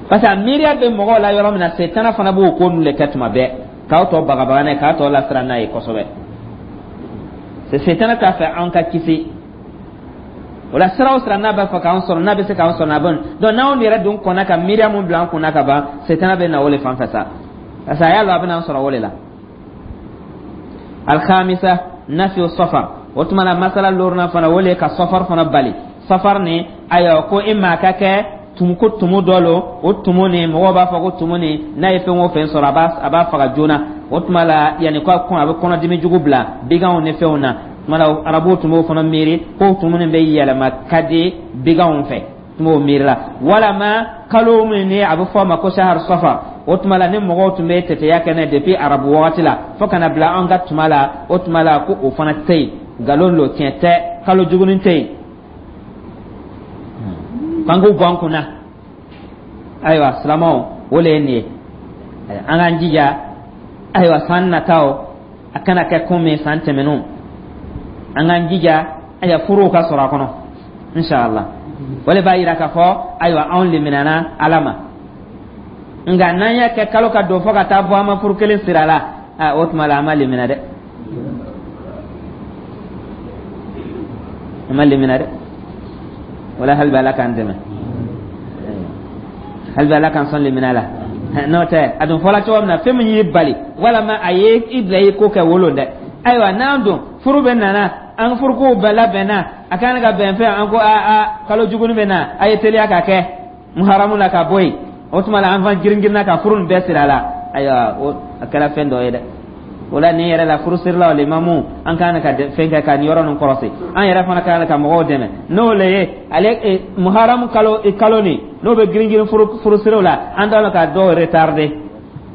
Parce que a miiriya bɛ mɔgɔw la yɔrɔ min na, setana fana b'o ko ninnu de kɛ tuma bɛɛ, k'aw tɔ bagabaga n'a ye, k'aw tɔ lasiran n'a ye kosɛbɛ. Setana t'a fɛ an ka kisi o la. Sira o sira n'a b'a fɛ k'an sɔrɔ, n'a bɛ se k'an sɔrɔ, n'a bɛ donc n'anw yɛrɛ dun kɔnna ka miiriya mun bila an kunna ka ban, setana bɛ na o de fan fɛ sa, parce que a y'a lɔn a bɛna an sɔrɔ o de la. Alhamisa, nafiyu safar. O tuma na masala loruna fana, o le ye ka safar fana bali. Safar ni, ayiwa, ko e maa ka kɛ tumu, ko tumu dɔ lo, o tumu ni mɔgɔw b'a fɔ ko tumu ni n'a ye fɛn o fɛn sɔrɔ, a b'a faga joona. O tuma la yanni ko a bɛ kɔnɔdimi jugu bila biganw ni fɛnw na. Tuma la arabuw tun b'o fana miiri ko tumu nin bɛ yɛlɛma ka di biganw fɛ, tun b'o miiri la. Walama kalo min ni a bɛ fɔ a ma ko sahar safar, o tuma la ni mɔgɔw tun bɛ tɛtɛya kɛ n'a ye depuis arabu wagati la fo ka na bila an ka tuma la, o tuma la ko o fana tɛ yen, nkalon lo, tiɲɛ tɛ, kalo jugunin tɛ yen, k'an k'o bɔ an kunna. Ayiwa silamɛw, o le ye nin ye. An k'an jija, ayiwa, san nataw a kana kɛ komi san tɛmɛnenw. An k'an jija, ayiwa, furuw ka sɔrɔ a kɔnɔ inshallah. O de b'a yira k'a fɔ ayiwa, anw liminana Ala ma. Nka n'an y'a kɛ kalo ka don fo ka taa bɔ, an ma furu kelen sira la, o tuma la an ma limina dɛ. An ma limina dɛ. Wala hali bi Ala k'an dɛmɛ, hali bi Ala k'an sɔn limina la. N'o tɛ, a dun fɔla cogo min na, fɛn min y'i bali walama a ye i bila i ko kɛ wolo dɛ. Ayiwa, n'an dun furu bɛ nana, an furukow bɛɛ labɛnna, a kan ka bɛn fɛn, an ko a a kalo juguni bɛ na, a ye teliya ka kɛ muharamu la ka bɔ yen. O tuma la, an fan girin girinna ka furu nin bɛɛ siri a la. Ayiwa, o a kɛra fɛn dɔ ye dɛ. O la, nin yɛrɛ la, furusirilaw, limamu, an kan ka fɛn kɛ ka nin yɔrɔ nin kɔrɔsi. An yɛrɛ fana kan ka mɔgɔw dɛmɛ n'o le ye. Ale muharamu kalo kalo nin, n'o bɛ girin girin furusiriw la, an t'a ka dɔw retarder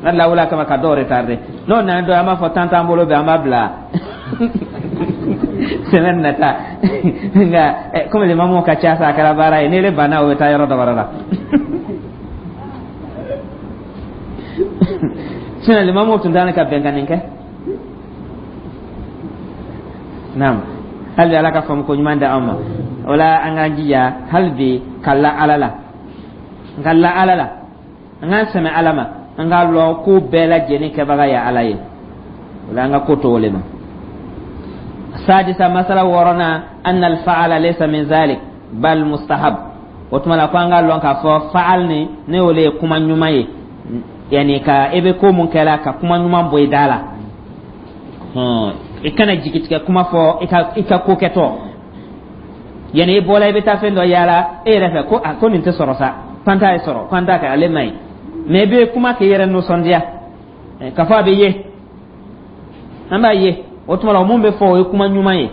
n'a lawula kama ka dɔw retarder. N'o nana dɔw, an b'a fɔ tan t'an bolo bɛ, an b'a bila semaine nata. Nka komi limamu ka ca sa, a kɛra baara ye. N'ele banna, o bɛ taa yɔrɔ dɔ wɛrɛ la. Sinon limamu tun t'an ka bɛn ka nin kɛ. Naam, hali bi Ala ka faamu ko ɲuman di an ma. O la, an k'an jija hali bi ka la Ala la, n ka la Ala la, an k'an sɛmɛ Ala ma, an k'a lɔn ko bɛɛ lajɛlen kɛbaga ye Ala ye. O la, an ka ko to o le ma. Sadisa, masala wɔɔrɔnan, anna alfaala laysa min zalik bal mustahab. O tuma la, ko an k'a lɔn k'a fɔ faal ni ne y'o le ye kuma ɲuman ye, yani ka i bɛ ko mun kɛla ka kuma ɲuman bɔ i da la, i kana jigitigɛ kuma fɔ i ka ko kɛtɔ. Yani i bɔla, i bɛ taa fɛn dɔ yaala e yɛrɛ fɛ, ko a ko nin tɛ sɔrɔ sa, ko an t'a ye sɔrɔ, ko an t'a kɛ, ale man ɲi. Mais i bɛ kuma k'i yɛrɛ nisɔndiya k'a fɔ a bɛ ye, an b'a ye. O tuma la, mun bɛ fɔ, o ye kuma ɲuman ye.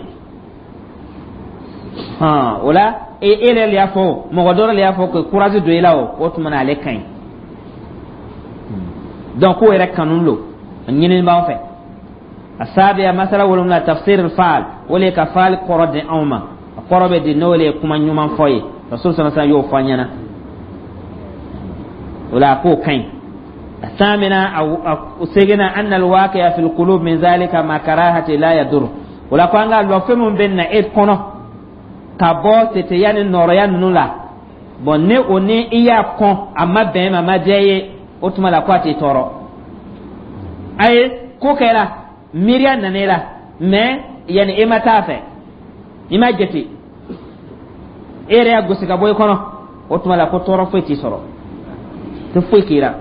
O la, e yɛrɛ de y'a fɔ, mɔgɔ dɔ de y'a fɔ ka courage don i la, o tuma na, ale ka ɲi. Donc k'o yɛrɛ kanu lo, a ɲinini b'an fɛ. Asabiya, masala wolonwula, tafsir faal, o le ka faal kɔrɔ di anw ma. A kɔrɔ bɛ di, n'o le ye kuma ɲuman fɔ ye. Rasul sallallahu alaihi wasallam y'o fɔ an ɲɛna. O la, a k'o ka ɲi. الثامنة أو سيجنا أن الواقع في القلوب من ذلك ما كراهة لا يضر. ولا ko an ka lɔ fɛn min bɛ na e kɔnɔ ka bɔ teteya ni nɔrɔya ninnu la, bon, ne o ni i y'a kɔn, a ma bɛn ma, ma diya i ye, o tuma la, ko a t'i tɔɔrɔ. A ye ko kɛra, miiriya nana i la, mais yanni i ma taa fɛ, i ma jate, e yɛrɛ y'a gosi ka bɔ i kɔnɔ, o tuma la, ko tɔɔrɔ foyi t'i sɔrɔ, tɛ foyi k'i la.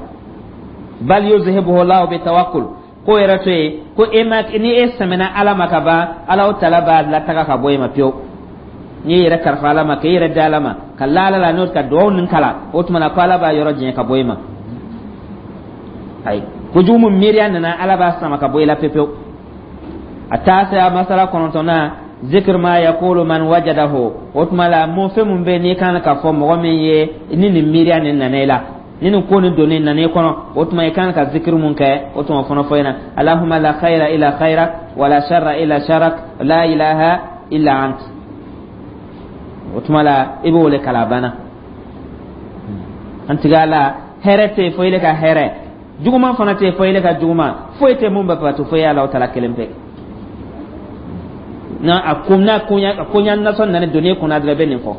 Bal yuzhibuhu Allahu bi tawakkul. Ko yɛrɛ to yen, ko e ma ni e sɛmɛna Ala ma ka ban, Ala tala b'a lataga ka bɔ e ma pewu. N'i yɛrɛ kalifa Ala ma, k'e yɛrɛ di Ala ma, ka la Ala la, n'o ka duwawu nin kalan, o tuma na, ko Ala b'a yɔrɔ jɛn ka bɔ e ma. Ayi, kojugu mun miiriya nana, Ala b'a sama ka bɔ i la pewu. A taasiya, masala kɔnɔntɔnnan, zikr ma yaqulu man wajadahu. O tuma la, mun fɛn mun bɛ n'i kan ka fɔ mɔgɔ min ye ni nin miiriya nin nana i la, ni nin ko nin donni nana i kɔnɔ, o tuma i kan ka zikiri mun kɛ, o tuma fana fɔ ɲɛna: Allahumma la khayra illa khayrak wala sharra illa sharrak la ilaha illa ant. O tuma la, i b'o le kalan, a banna. An tigi Ala, hɛrɛ tɛ yen fo ile ka hɛrɛ, juguman fana tɛ yen fo ile ka juguman, foyi tɛ mun bɛ bato fo ye Ala tala kelen pe. Na a ko n'a koɲa a koɲa nasɔn nana donni kunna dɔrɔn, i bɛ nin fɔ.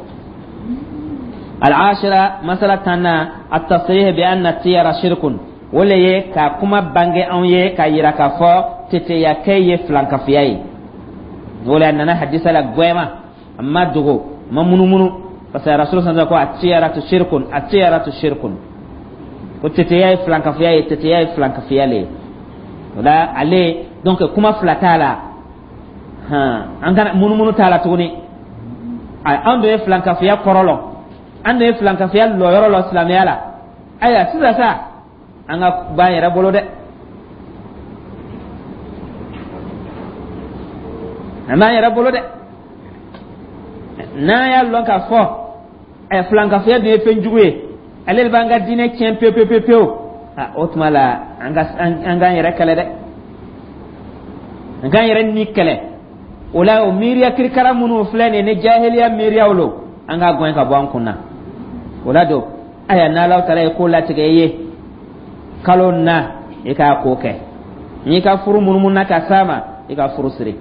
Al-ashira, masala tanna, at-tasrih bi anna tiyara shirkun. O le ye ka kuma bange anw ye ka yira k'a fɔ teteyakɛ ye filankafiya ye. O le a nana hadisa la gwɛma, a ma dogo, a ma munumunu, parce que Rasul sallallahu ko at-tiyaratu shirkun, at-tiyaratu shirkun, ko teteya ye filankafiya ye, teteya ye filankafiya le ye. O la, ale donc kuma fila t'a la, han, an kana munumunu t'a la tuguni. An dun ye filankafiya kɔrɔ lɔn, an dun ye filankafiya lɔyɔrɔ lɔn silamɛya la. Ayiwa, sisan sa, an ka b'an yɛrɛ bolo dɛ, an b'an yɛrɛ bolo dɛ. N'an y'a lɔn k'a fɔ ɛ filankafoya dun ye fɛn jugu ye, ale de b'an ka diinɛ tiɲɛ pewu pewu pewu pewu, o tuma la, an k'an yɛrɛ kɛlɛ dɛ, an k'an yɛrɛ ni kɛlɛ. O la, o miiriya kirikara minnu filɛ nin ye, ni jahiliya miiriyaw lo, an k'a gɛn ka bɔ an kun na. O la don, aya, n'Ala taala ye ko latigɛ i ye kalo na, i k'a ko kɛ. N'i ka furu munumunu ka s'a ma, i ka furu siri.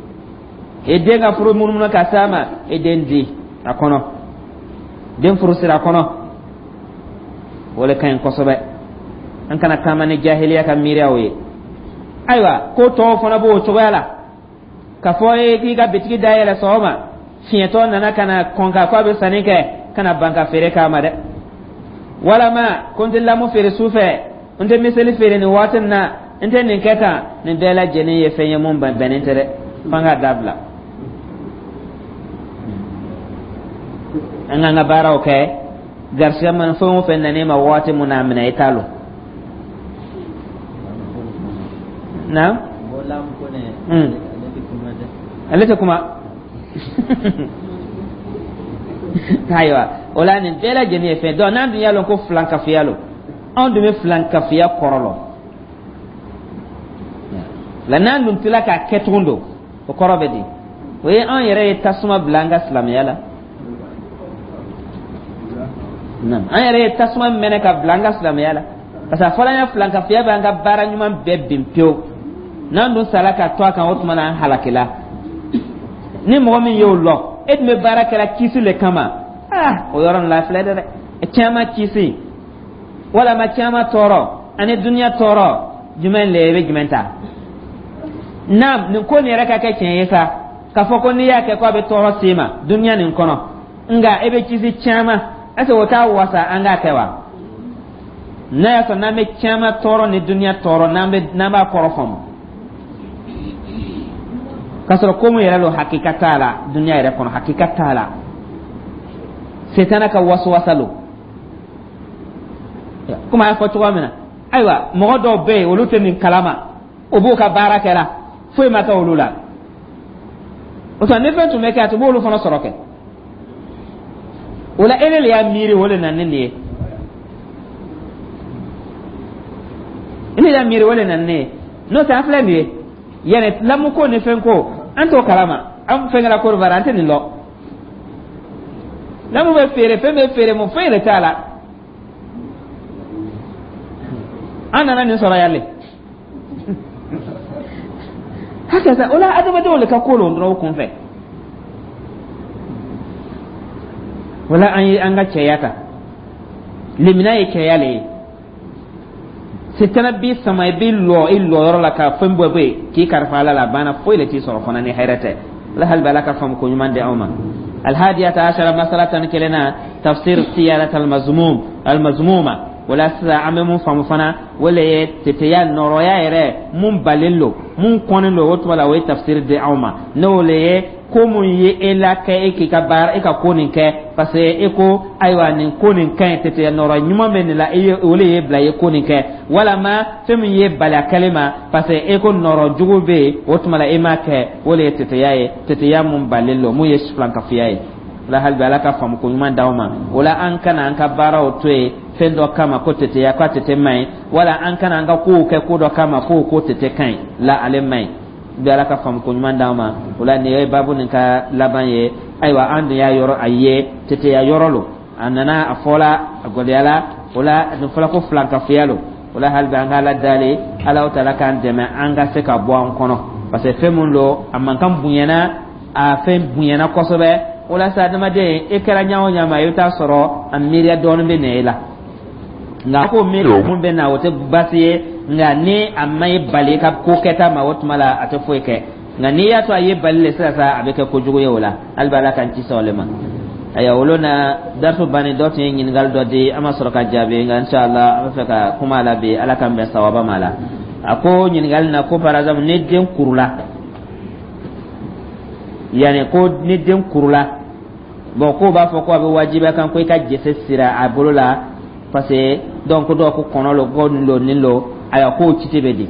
I den ka furu munumunu ka s'a ma, i den di a kɔnɔ, den furu siri a kɔnɔ. O le ka ɲi kosɛbɛ. An kana taama ni jahiliya ka miiriyaw ye. Ayiwa, ko tɔw fana b'o cogoya la, k'a fɔ e k'i ka bitigi dayɛlɛ sɔgɔma, Fiɲɛtɔ nana ka na kɔn ka ko a bɛ sanni kɛ, kana ban ka feere k'a ma dɛ. Walama ko n tɛ lamu feere su fɛ, n tɛ miseli feere nin waati nin na, n tɛ nin kɛ tan. Nin bɛɛ lajɛlen ye fɛn ye mun bɛnnen tɛ dɛ, f'an k'a dabila. An k'an ka baaraw kɛ. Garisigɛ mana fɛn o fɛn nan'i ma waati mun na, a minɛ, i t'a lɔn na. Ale tɛ kuma. Ayiwa, o la nin bɛɛ lajɛlen ye fɛn donc n'an dun y'a lɔn ko filankafoya lo, anw dun bɛ filankafoya kɔrɔ lɔn la, n'an dun tila k'a kɛ tugun don, o kɔrɔ bɛ di? O ye anw yɛrɛ ye tasuma bila an ka silamɛya la. An yɛrɛ ye tasuma mɛnɛ ka bila an ka silamɛya la, parce que a fɔla an ye, filankafoya bɛ an ka baara ɲuman bɛɛ bin pewu. N'an dun sala ka to a kan, o tuma na an halakila. Ni mɔgɔ min y'o lɔn, e tun bɛ baara kɛra kisi le kama. Ah, o yɔrɔ nin la filɛ dɛ, caman kisi walama caman tɔɔrɔ ani duniya tɔɔrɔ, jumɛn le i bɛ jumɛn ta? Naam, nin ko nin yɛrɛ ka kɛ tiɲɛ ye sa, k'a fɔ ko n'i y'a kɛ ko a bɛ tɔɔrɔ s'i ma duniya nin kɔnɔ, nka e bɛ kisi caman, est ce que o t'a wasa an k'a kɛ wa? N'a y'a sɔrɔ n'an bɛ caman tɔɔrɔ ni duniya tɔɔrɔ, n'an bɛ n'an b'a kɔrɔ faamu, k'a sɔrɔ ko mun yɛrɛ lo, hakika t'a la duniya yɛrɛ kɔnɔ, hakika t'a la. Setana ka wasuwasa lo, komi a y'a fɔ cogoya min na. Ayiwa, mɔgɔ dɔw bɛ yen, olu tɛ nin kalama, o b'u ka baara kɛra, foyi ma kɛ olu la. O tuma ni fɛn tun bɛ kɛ, a tun b'olu fana sɔrɔ kɛ. O la e le y'a miiri, o le nana ni nin ye. E le y'a miiri, o le nana ni nin ye. N'o tɛ, an filɛ nin ye yanni lamuko ni fɛn ko, an t'o kalama. An fɛn kɛra Côte d'Ivoire, an tɛ nin lɔn. Lamu bɛ feere, fɛn bɛ feere, mun foyi de t'a la. An nana nin sɔrɔ yan le. Hakɛ sa, o la adamadenw le ka ko lon dɔrɔn o kun fɛ. O la an ye an ka cɛya ta, lemina ye cɛya le ye. Setana b'i sama, i b'i lɔ i lɔyɔrɔ la ka fɛn bɛɛ bɔ yen k'i kalifa Ala la, a banna, foyi le t'i sɔrɔ fana ni hɛrɛ tɛ. Ala hali bɛ Ala ka faamu ko ɲuman di anw ma. Alhadiyata ashara, masala 11nan, tafsir siyarat almazmum almazmuma. Wala sisan an bɛ mun faamu fana, o le ye teteya nɔrɔya yɛrɛ mun balen lo, mun kɔnnen lo. O tuma la o ye tafsir di anw ma, n'o le ye ko mun ye e la kɛ e k'i ka baara, e ka ko nin kɛ, parce que e ko ayiwa nin ko nin ka ɲi, teteya nɔrɔ ɲuman bɛ nin la, e ye o le ye bila i ye ko nin kɛ, walama fɛn min ye bali a kɛlen ma, parce que e ko nɔrɔ jugu bɛ yen, o tuma la e m'a kɛ. O le ye teteya ye, teteya mun balen lo, mun ye filankafoya ye. O la hali bi Ala ka faamu ko ɲuman d'aw ma. O la an kana an ka baaraw to yen fɛn dɔ kama ko teteya, ko a tete man ɲi, wala an kana an ka kow kɛ ko dɔ kama ko ko tete ka ɲi la, ale man ɲi bi. Ala ka faamu ko ɲuman d'aw ma. O la nin ye baabu nin ka laban ye. Ayiwa, an dun y'a yɔrɔ a ye teteya yɔrɔ lo, a nana a fɔla a gɔlɛyala. O la nin fɔla ko filankafoya lo. O la hali bi an ka Ala dali, Ala taala k'an dɛmɛ an ka se ka bɔ an kɔnɔ, parce que fɛn mun lo, a mankan bonyana, a fɛn bonyana kosɛbɛ. O la sa, adamaden e kɛra ɲa o ɲa ma, i bɛ taa sɔrɔ a miiriya dɔɔnin bɛ na e la. Nka ko miiri mun bɛ na, o tɛ baasi ye, nka ni a ma e bali i ka ko kɛta ma, o tuma la a tɛ foyi kɛ. Nka n'i y'a to a ye bali le sisan sa, a bɛ kɛ kojugu ye. O la hali bi Ala k'an kisi o le ma. Ayiwa, olu na darisu bannen, dɔ tun ye ɲininkali dɔ di, an ma sɔrɔ ka jaabi, nka inshallah an bɛ fɛ ka kuma a la bi. Ala k'an bɛn sawaba ma. La a ko ɲininkali na ko par exemple ni den kurula, yanni ko ni den kurula, bon, k'o b'a fɔ ko a bɛ wajibiya kan ko i ka jese siri a bolo la, parce que donc ko dɔw ko kɔnɔ lo, ko nin lo, nin lo. Ayiwa, k'o kiti bɛ di?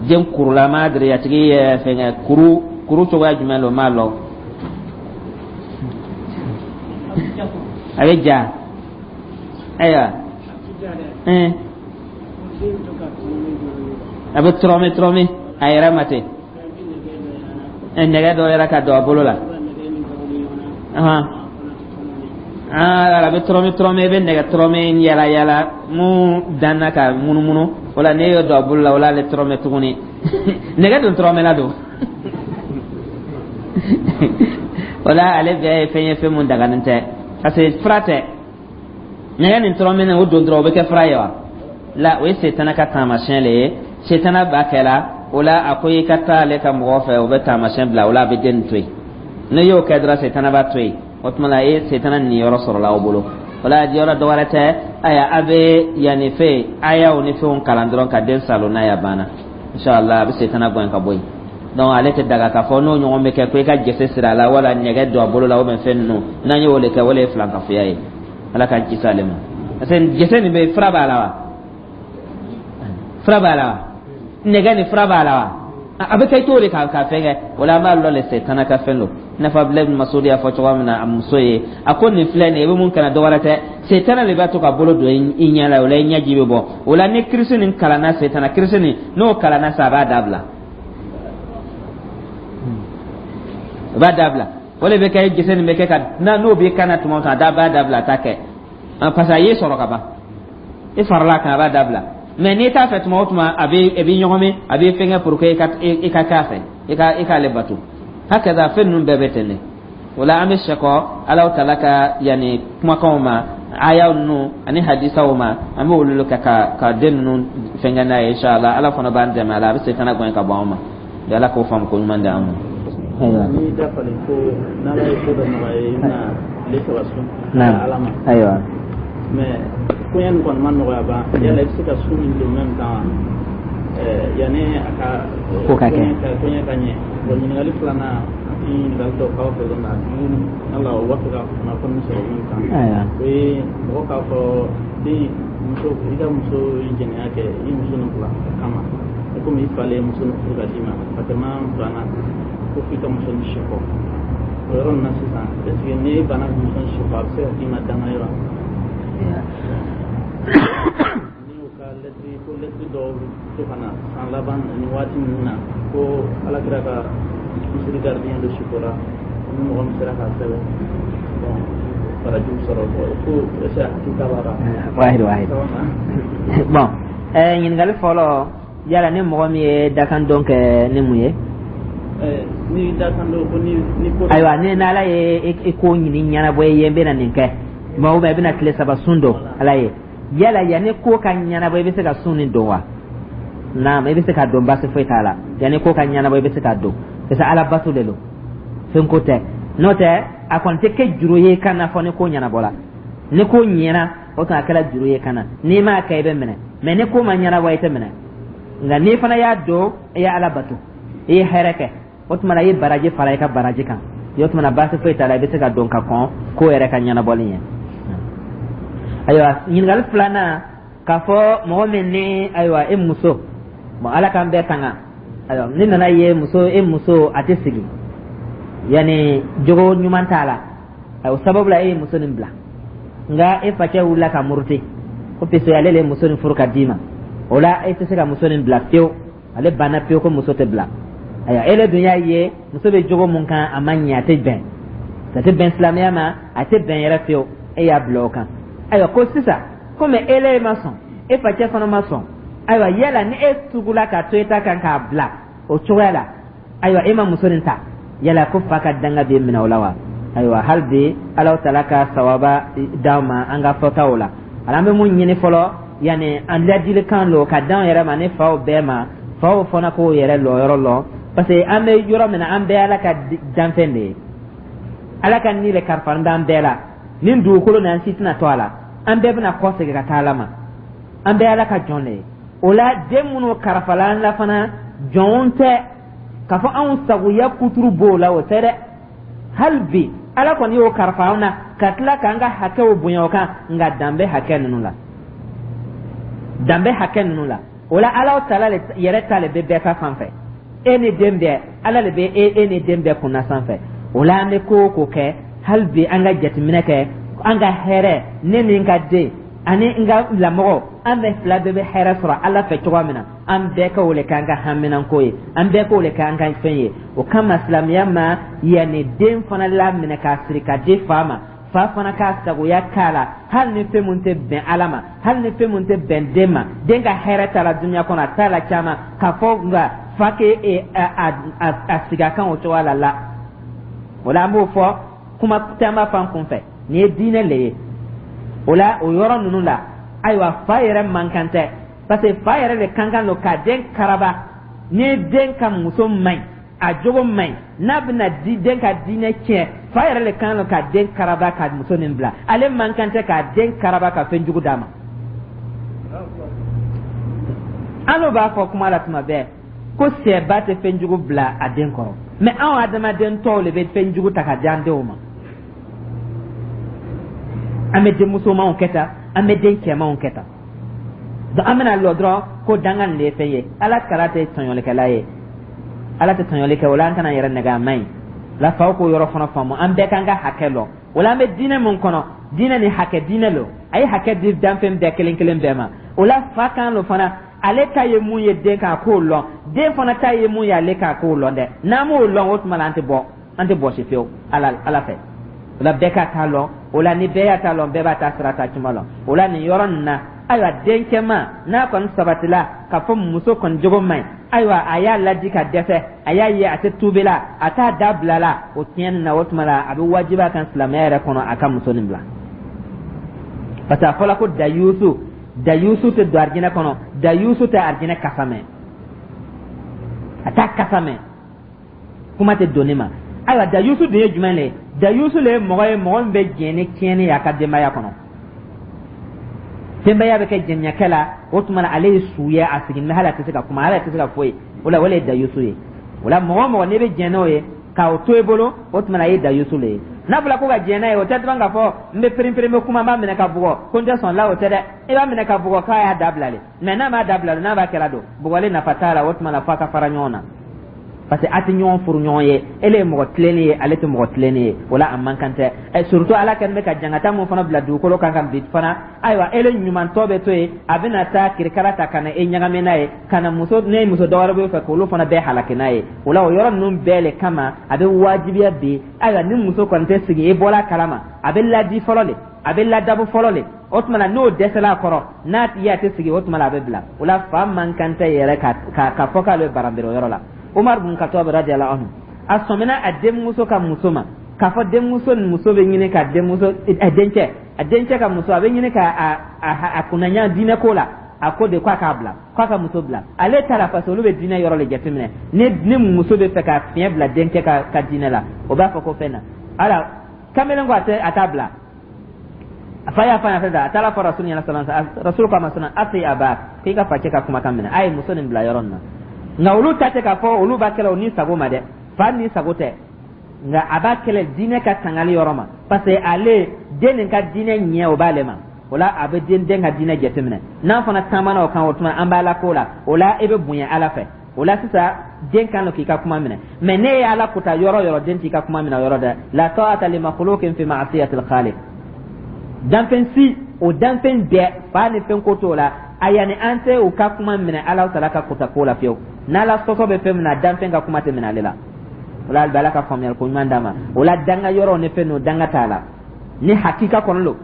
Den kurula, ma diri a tigi ye fɛngɛ kuru kuru cogoya jumɛn lo, m'a lɔn. A bɛ ja. Ayiwa, a bɛ tɔrɔmi tɔrɔmi a yɛrɛ ma ten, nɛgɛ dɔ yɛrɛ ka don a bolo la. A bɛ tɔrɔmi tɔrɔmi, i bɛ nɛgɛ tɔrɔmi yala yala mun danna ka munumunu. O la n'e y'o don a bolo la, o la ale tɔrɔmɛ tuguni. Nɛgɛ dun tɔrɔmɛla don. O la ale bɛɛ ye fɛn ye, fɛn mun daganen tɛ, parce que fura tɛ. Nɛgɛ nin tɔrɔmɛnen o don dɔrɔn, o bɛ kɛ fura ye wa? La, o ye setana ka taamasiyɛn le ye. Setana b'a kɛ la. O la a ko i ka taa ale ka mɔgɔ fɛ, o bɛ taamasiyɛn bila o la, a bɛ den nin to yen. N'i y'o kɛ dɔrɔn, setana b'a to yen. O tuma la, e ye setana niyɔrɔ sɔrɔla aw bolo. O la, yɔrɔ dɔ wɛrɛ tɛ. Ayiwa, a bɛ yanni fɛn ayaw ni fɛnw kalan dɔrɔn ka den salo n'a ye, a banna. Inshallah, a bɛ setana gɛn ka bɔ yen. Donc ale tɛ daga k'a fɔ n'o ɲɔgɔn bɛ kɛ ko i ka jese siri a la wala nɛgɛ don a bolo la ou bien fɛn ninnu. N'an y'o de kɛ, o de ye filankafoya ye. Ala k'an kisi ale ma, parce que jese nin bɛ fura b'a la wa, fura b'a la wa, nɛgɛ ni fura b'a la wa, a bɛ kɛ cogo di ka fɛn kɛ? O la, an b'a lɔ le, setana ka fɛn don. I n'a fɔ Abudulayi bin Masudi y'a fɔ cogoya min na a muso ye, a ko nin filɛ nin ye, i bɛ mun kɛ na, dɔ wɛrɛ tɛ, setana de b'a to ka bolo don i ɲɛ la. O la, i ɲɛji bɛ bɔ. O la, ni kirisi nin kalanna, setana kirisi nin n'o kalanna sa, a b'a dabila, a b'a dabila. O de bɛ kɛ jese nin bɛ kɛ ka n'o b'i kan na tuma o tuma, a da b'a dabila, a t'a kɛ, parce que a y'i sɔrɔ ka ban, i farala a kan, a b'a dabila. Mais n'i t'a fɛ, tuma o tuma a bɛ ɲɔgɔn a bɛ fɛnkɛ pour que i ka k'a fɛ, i k'ale bato. Hakaza, fɛn ninnu bɛɛ bɛ ten de. O la, an bɛ sɛkɔ Alahu taala ka yanni kumakanw ma, ayaw ninnu ani hadisaw ma, an bɛ olu kɛ ka den ninnu fɛnkɛ n'a ye. Inshallah, Ala fana b'an dɛmɛ a la, a bɛ setana gɛn ka bɔ an ma. Ala k'o faamu ko ɲuman di an ma. N'i dafalen ko n'Ala ye ko dɔ nɔgɔya i bɛna tile 3 sun Ala ma. Mais koɲɛ nin kɔni ma nɔgɔya ban, yala i bɛ se ka sun min don même temps yanni a ka ko ka kɛ koɲɛ ka ɲɛ? Bon, ɲininkali filanan, an tɛ ɲininkali dɔw k'aw fɛ na, ala o b'a fɛ ka kunnafoni sɔrɔ min kan, o ye mɔgɔ k'a fɔ den muso, i ka muso ye jɛnɛya kɛ, i muso nin bila a kama, komi i falen ye muso nin furu ka d'i ma, Fatema banna ko f'i ka muso nin sekɔ. O yɔrɔ nin na sisan, est ce que n'e banna ka muso nin sekɔ, a bɛ se ka k'i ma danga ye wa? Ni u ka lɛtiri ko lɛtiri dɔw bɛ to ka na san laban ni waati ninnu na ko Ala kira ka misiri gardien dɔ sikora, ni mɔgɔ min sera k'a sɛbɛn, bon, barajiw sɔrɔ ko est ce que hakili b'a la? Wahid wahid. Bon, ɲininkali fɔlɔ, yala ni mɔgɔ min ye dakan dɔn kɛ ni mun ye? Ni dakan dɔn ko ni ko. Ayiwa, ni n'Ala ye i ko ɲini ɲɛnabɔ i ye, n bɛna nin kɛ, mais ou bien i bɛna tile 3 sun don Ala ye, yala yanni ko ka ɲɛnabɔ, i bɛ se ka sun nin don wa? Naam, i bɛ se ka don, baasi foyi t'a la. Yanni ko ka ɲɛnabɔ, i bɛ se ka don, parce que Ala bato de don, fɛn ko tɛ. N'o tɛ, a kɔni tɛ kɛ juru ye kan na fɔ ni ko ɲɛnabɔla. Ni ko ɲɛna, o tuma a kɛra juru ye kan na. N'i m'a kɛ, i bɛ minɛ. Mais ni ko ma ɲɛnabɔ, i tɛ minɛ. Nka n'i fana y'a don, i ye Ala bato, i ye hɛrɛ kɛ, o tuma na i ye baraji fara i ka baraji kan. O tuma na, baasi foyi t'a la, i bɛ se ka don ka kɔn ko yɛrɛ ka ɲɛnabɔli ɲɛ. Ayiwa, ɲininkali filanan, k'a fɔ mɔgɔ min ni, ayiwa, e muso, bon, Ala k'an bɛɛ tanga. Ayiwa, ni nana ye muso, e muso a tɛ sigi, yanni jogo ɲuman t'a la, o sababu la e ye muso nin bila. Nka e facɛ wulila ka muruti ko puisque ale le ye muso nin furu ka d'i ma, o la e tɛ se ka muso nin bila fiyewu. Ale banna fiyewu ko muso tɛ bila. Ayiwa, e le dun y'a ye muso bɛ jogo mun kan, a ma ɲɛ, a tɛ bɛn, a tɛ bɛn silamɛya ma, a tɛ bɛn yɛrɛ fiyewu. E y'a bila o kan. Ayiwa, ko sisan komi e le ma sɔn, e facɛ fana ma sɔn, ayiwa, yala ni e tugula ka to e ta kan k'a bila o cogoya la, ayiwa, e ma muso nin ta, yala ko fa ka danga bɛ minɛ o la wa? Ayiwa, hali bi Alahu taala ka sawaba d'an ma an ka fɔtaw la. Ala, an bɛ mun ɲini fɔlɔ, yanni an ladilikan lo ka d'an yɛrɛ ma ni faw bɛɛ ma, faw fana k'o yɛrɛ lɔyɔrɔ lɔ, parce que an bɛ yɔrɔ min na, an bɛɛ Ala ka danfɛn de ye. Ala ka ni le kalifalen b'an bɛɛ la. Nin dugukolo nin, an si tɛna to a la, an bɛɛ bɛna kɔ segin ka taa Ala ma. An bɛɛ Ala ka jɔn de ye. O la, den minnu karifala an la fana, jɔnw tɛ k'a fɔ anw sagoya kuturu b'o la, o tɛ dɛ. Hali bi Ala kɔni y'o karifa anw na ka tila k'an ka hakɛw bonya o kan, nka dan bɛ hakɛ ninnu la, dan bɛ hakɛ ninnu la. O la, Ala taala yɛrɛ ta le bɛ bɛɛ ta fan fɛ. E ni den bɛɛ, Ala de bɛ e ni den bɛɛ kunna sanfɛ. O la, an bɛ ko o ko kɛ, hali bi an ka jateminɛ kɛ an ka hɛrɛ, ne ni n ka den ani n ka lamɔgɔ, an bɛɛ fila bɛɛ bɛ hɛrɛ sɔrɔ Ala fɛ cogoya min na, an bɛɛ ka o le k'an ka haminanko ye, an bɛɛ k'o le k'an ka fɛn ye. O kama, silamɛya ma yanni den fana laminɛ k'a siri ka di fa ma, fa fana k'a sagoya k'a la, hali ni fɛn mun tɛ bɛn Ala ma, hali ni fɛn mun tɛ bɛn den ma, den ka hɛrɛ t'a la dunuya kɔnɔ, a t'a la caman k'a fɔ, nka fa k'e a sigi a kan o cogoya la. O la, an b'o fɔ kuma caman fan kun fɛ, nin ye diinɛ le ye. O la, o yɔrɔ ninnu la, ayiwa, fa yɛrɛ man kan tɛ, parce que fa yɛrɛ de kan kan don ka den karaba. Ni den ka muso man ɲi A jogo man ɲi, n'a bɛna di den ka diinɛ tiɲɛ, fa yɛrɛ le kan ka den karaba ka muso nin bila. Ale man kan tɛ k'a den karaba ka fɛn jugu d'a ma. An n'o b'a fɔ kuma la tuma bɛɛ ko sɛba tɛ fɛn jugu bila a den kɔrɔ, mɛ anw adamaden tɔw le bɛ fɛn jugu ta ka di an denw ma. An bɛ denmusomanw kɛ tan, an bɛ den cɛmanw kɛ tan. Donc an bɛna lɔ dɔrɔn ko danga nin de ye fɛn ye. Ala kala tɛ tɔɲɔlikɛla ye, Ala tɛ tɔɲɔli kɛ. O la, an kana yɛrɛ nɛgɛ, a man ɲi la. Faw k'o yɔrɔ fana faamu, an bɛɛ k'an ka hakɛ lɔn. O la, an bɛ diinɛ mun kɔnɔ, diinɛ ni hakɛ diinɛ lo. A ye hakɛ di danfɛn bɛɛ kelen kelen bɛɛ ma. O la, fa kan lo fana, ale ta ye mun ye den kan, a k'o lɔn. Den fana ta ye mun ye ale kan, a k'o lɔn dɛ. N'an m'o lɔn, o tuma la an tɛ bɔ, an tɛ bɔsi fiyewu Ala fɛ. O la, bɛɛ ka ta lɔn. O la, ni bɛɛ y'a ta lɔn, bɛɛ b'a ta sira ta cuma lɔn. O la, nin yɔrɔ nin na, ayiwa, dencɛman n'a kɔni sabatila k'a fɔ muso kɔni jogo man ɲi, ayiwa, a y'a ladi ka dɛsɛ, a y'a ye a tɛ tubi la, a t'a da bila la o tiɲɛni na, o tuma la a bɛ wajibi a kan silamɛya yɛrɛ kɔnɔ a ka muso nin bila, parce que a fɔla ko dayusu, dayusu tɛ don arijinɛ kɔnɔ, dayusu tɛ arijinɛ kasa mɛn, a t'a kasa mɛn, kuma tɛ donni ma. Ayiwa, dayusu dun ye jumɛn le ye? Dayusu le ye mɔgɔ ye, mɔgɔ min bɛ jɛn ni tiɲɛni ye a ka denbaya kɔnɔ. Denbaya bɛ kɛ jɛnɲɛkɛ la, o tuma na ale ye su ye, a sigilen bɛ, hali a tɛ se ka kuma, hali a tɛ se ka foyi. O la, o le ye dayusu ye. O la, mɔgɔ o mɔgɔ n'i bɛ jɛn n'o ye k'o to i bolo, o tuma na a ye dayusu le ye. N'a fɔra ko ka jɛn n'a ye, o tɛ dɔrɔn k'a fɔ n bɛ perinperen, n bɛ kuma, n b'a minɛ ka bugɔ ko n tɛ sɔn la, o tɛ dɛ. I b'a minɛ ka bugɔ k'a y'a dabila le, mɛ n'a m'a dabila, n'a b'a kɛra don, bugɔli nafa t'a la. O tuma na f'a ka fara ɲɔgɔn na, parce que a tɛ ɲɔgɔn furu ɲɔgɔn ye. Ele ye mɔgɔ tilennen ye, ale tɛ mɔgɔ tilennen ye. O la, a man kan tɛ. Surtout Ala kɛlen bɛ ka jangata mun fana bila dugukolo kan ka bi fana, ayiwa, ele ɲumantɔ bɛ to yen, a bɛna taa kirikara ta ka na e ɲagami n'a ye, ka na muso ne muso dɔwɛrɛ bɛ fɛ k'olu fana bɛɛ halaki n'a ye. O la, o yɔrɔ ninnu bɛɛ le kama a bɛ wajibiya bi. Ayiwa, ni muso kɔni tɛ sigi, i bɔra a kalama, a bɛ ladi fɔlɔ le, a bɛ ladabu fɔlɔ le. O tuma na, n'o dɛsɛla a kɔrɔ, n'a tigi a tɛ sigi, o tuma na a bɛ bila. O la, fa man kan tɛ yɛrɛ ka fɔ k'ale bɛ baranbere o yɔrɔ la. Umar bin Khattab radiyallahu anhu, a sɔmina a denmuso ka muso ma k'a fɔ denmuso ni muso bɛ ɲini ka denmuso a dencɛ, a dencɛ ka muso, a bɛ ɲini ka a kunnaɲa diinɛ ko la. A ko de k'a k'a bila, k'a ka muso bila. Ale ta la, parce que olu bɛ diinɛ yɔrɔ de jateminɛ. Ni muso bɛ fɛ ka fiɲɛ bila denkɛ ka diinɛ la, o b'a fɔ ko fɛn na ala kamalen ko a tɛ, a t'a bila. A fa y'a fɔ a ɲɛna, a taara fɔ Rasul ɲɛna sallallahu alaihi wasallam. Rasul ko a ma sɔnna ati aba, k'i ka facɛ ka kumakan minɛ, a ye muso nin bila yɔrɔ nin na. Nka olu ta tɛ k'a fɔ olu b'a kɛlɛ o ni sago ma dɛ, fa ni sago tɛ, nka a b'a kɛlɛ diinɛ ka tangali yɔrɔ ma, parce que ale den nin ka diinɛ ɲɛ o b'ale ma. O la, a bɛ den ka diinɛ jateminɛ. N'an fana taamana o kan, o tuma an b'a la ko la. O la, e bɛ bonya Ala fɛ. O la sisan, den kan k'i ka kuma minɛ. Mɛ ne ye Ala kota yɔrɔ yɔrɔ, den t'i ka kuma minɛ o yɔrɔ dɛ. La ta'ata li makhluqin fi ma'siyatil khaliq. Danfɛn si, o danfɛn bɛɛ, fa ni fɛn ko t'o la. A yanni an tɛ u ka kuma minɛ Ala taala ka kota ko la fiyewu. N'Ala sɔsɔ bɛ fɛn min na, danfɛn ka kuma tɛ minɛ ale la. O la, Ala ka faamuyali ko ɲuman d'a ma. O la, danga yɔrɔ ni fɛn ninnu, danga t'a la ni hakika kɔnɔ lo.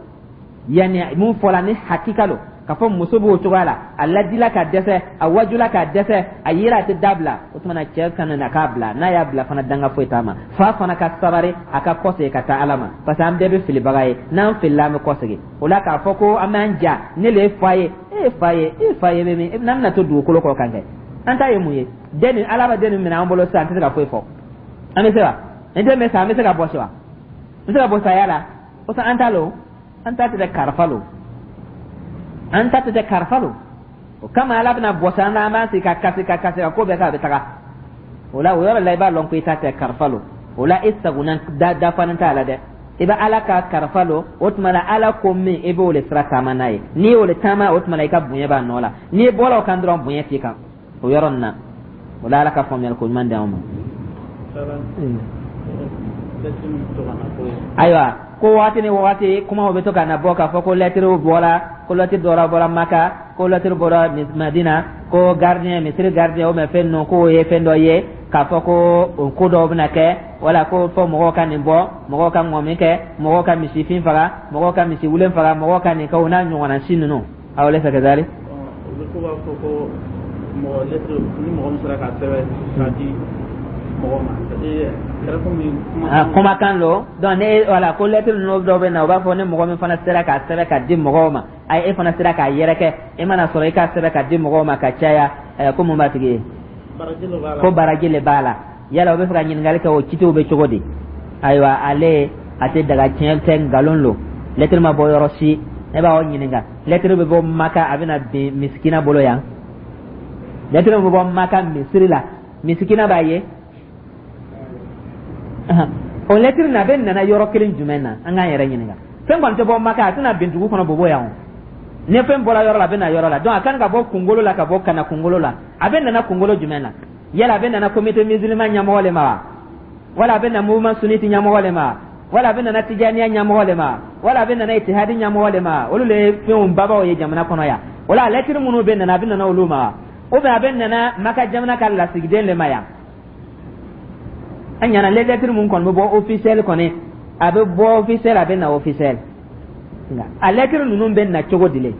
Yanni mun fɔla ni hakika lo k'a fɔ muso b'o cogoya la, a ladila ka dɛsɛ, a wajula ka dɛsɛ, a yira a tɛ dabila, o tuma na cɛ kana na k'a bila. N'a y'a bila fana, danga foyi t'a ma. Fa fana ka sabari, a ka kɔsegin ka taa Ala ma, parce que an bɛɛ bɛ filibaga ye. N'an filila, an bɛ kɔsegin. O la, k'a fɔ ko an b'an ja, ne le ye fa ye, e ye fa ye, e ye fa ye bɛ min n'an bɛna to dugukolo kɔ kan kɛ, an ta ye mun ye? Den nin, Ala bɛ den nin minɛ an bolo sisan, an tɛ se ka foyi fɔ. An bɛ se wa? Ni den bɛ sa, an bɛ se ka bɔsi wa? N bɛ se ka bɔ saya la? O an ta lo, an ta tɛ dɛ, karifa lo, an ta tɛ dɛ, karifa lo. O kama Ala bɛna bɔsi an na, an b'an sigi ka kasi, ka kasi, ka ko bɛɛ kɛ, a bɛ taga. O la, o yɔrɔ la, i b'a lɔn ko i ta tɛ, karifa lo. O la, e sagona da dafanen t'a la dɛ, i bɛ Ala ka karifa lo. O tuma la, Ala ko min, i b'o le sira taama n'a ye. N'i y'o le taama, o tuma la i ka bonya b'a nɔ la. N'i bɔra o kan dɔrɔn, bonya t'i kan o yɔrɔ nin na. O la, Ala ka faamuyali ko ɲuman di anw ma. Ayiwa, ko waati ni waati kumaw bɛ to ka na bɔ k'a fɔ ko lɛtiriw bɔra, ko lɛtiri dɔ bɔra Maka, ko lɛtiri bɔra Madina, ko gardien, misiri gardien, o mɛ fɛn ninnu, k'o ye fɛn dɔ ye k'a fɔ ko o ko dɔw bɛna kɛ, wala ko fɔ mɔgɔw ka nin bɔ, mɔgɔw ka ŋɔmi kɛ, mɔgɔw ka misifin faga, mɔgɔw ka misi wulen faga, mɔgɔw ka nin kɛ, o n'a ɲɔgɔnna si ninnu. Aw laysa kadhalik. Olu ko b'a fɔ ko mɔgɔ lɛtiri ni mɔgɔ min sera k'a sɛbɛn k'a di mɔgɔ ma, kɛra komi kumakan lo. Donc ne wala ko lɛtiri ninnu dɔw bɛ na, u b'a fɔ ni mɔgɔ min fana sera k'a sɛbɛn k'a di mɔgɔw ma, ayi, e fana sera k'a yɛrɛkɛ, e mana sɔrɔ i k'a sɛbɛn k'a di mɔgɔw ma ka caya, ko mun b'a tigi ye? Ko baraji le b'a la. Yala o bɛ fɛ ka ɲininkali kɛ, o kitiw bɛ cogo di? Ayiwa, ale a tɛ daga, tiɲɛ tɛ, nkalon lo. Lɛtiri ma bɔ yɔrɔ si. Ne b'aw ɲininka, lɛtiri bɛ bɔ Maka, a bɛna bin misikina bolo yan. Lɛtiri bɛ bɔ Maka misiri la, misikina b'a ye. O lɛtiri na, a bɛ nana yɔrɔ kelen jumɛn na? An k'an yɛrɛ ɲininka. Fɛn kɔni tɛ bɔ Maka, a tɛna bin dugu kɔnɔ Bobo yan. O ni fɛn bɔra yɔrɔ la, a bɛ na yɔrɔ la. Donc a kan ka bɔ kunkolo la ka bɔ ka na kunkolo la. A bɛ nana kunkolo jumɛn na? Yala a bɛ nana comité musulman ɲɛmɔgɔ le ma wa, wala a bɛ na mouvement sunnite ɲɛmɔgɔ le ma, wala a bɛ nana tijaniya ɲɛmɔgɔ le ma, wala a bɛ nana itihadi ɲɛmɔgɔ le ma? Olu le ye fɛnw babaw ye jamana kɔnɔ yan. O la, lɛtiri minnu bɛ nana, a bɛ nana olu ma wa, ou bien a bɛ nana Maka jamana ka lasigiden le ma yan? An ɲana lɛtiri mun kɔni bɛ bɔ officiel kɔni, a bɛ bɔ officiel, a bɛ na officiel. Nka a lɛtiri ninnu bɛ na cogo di le?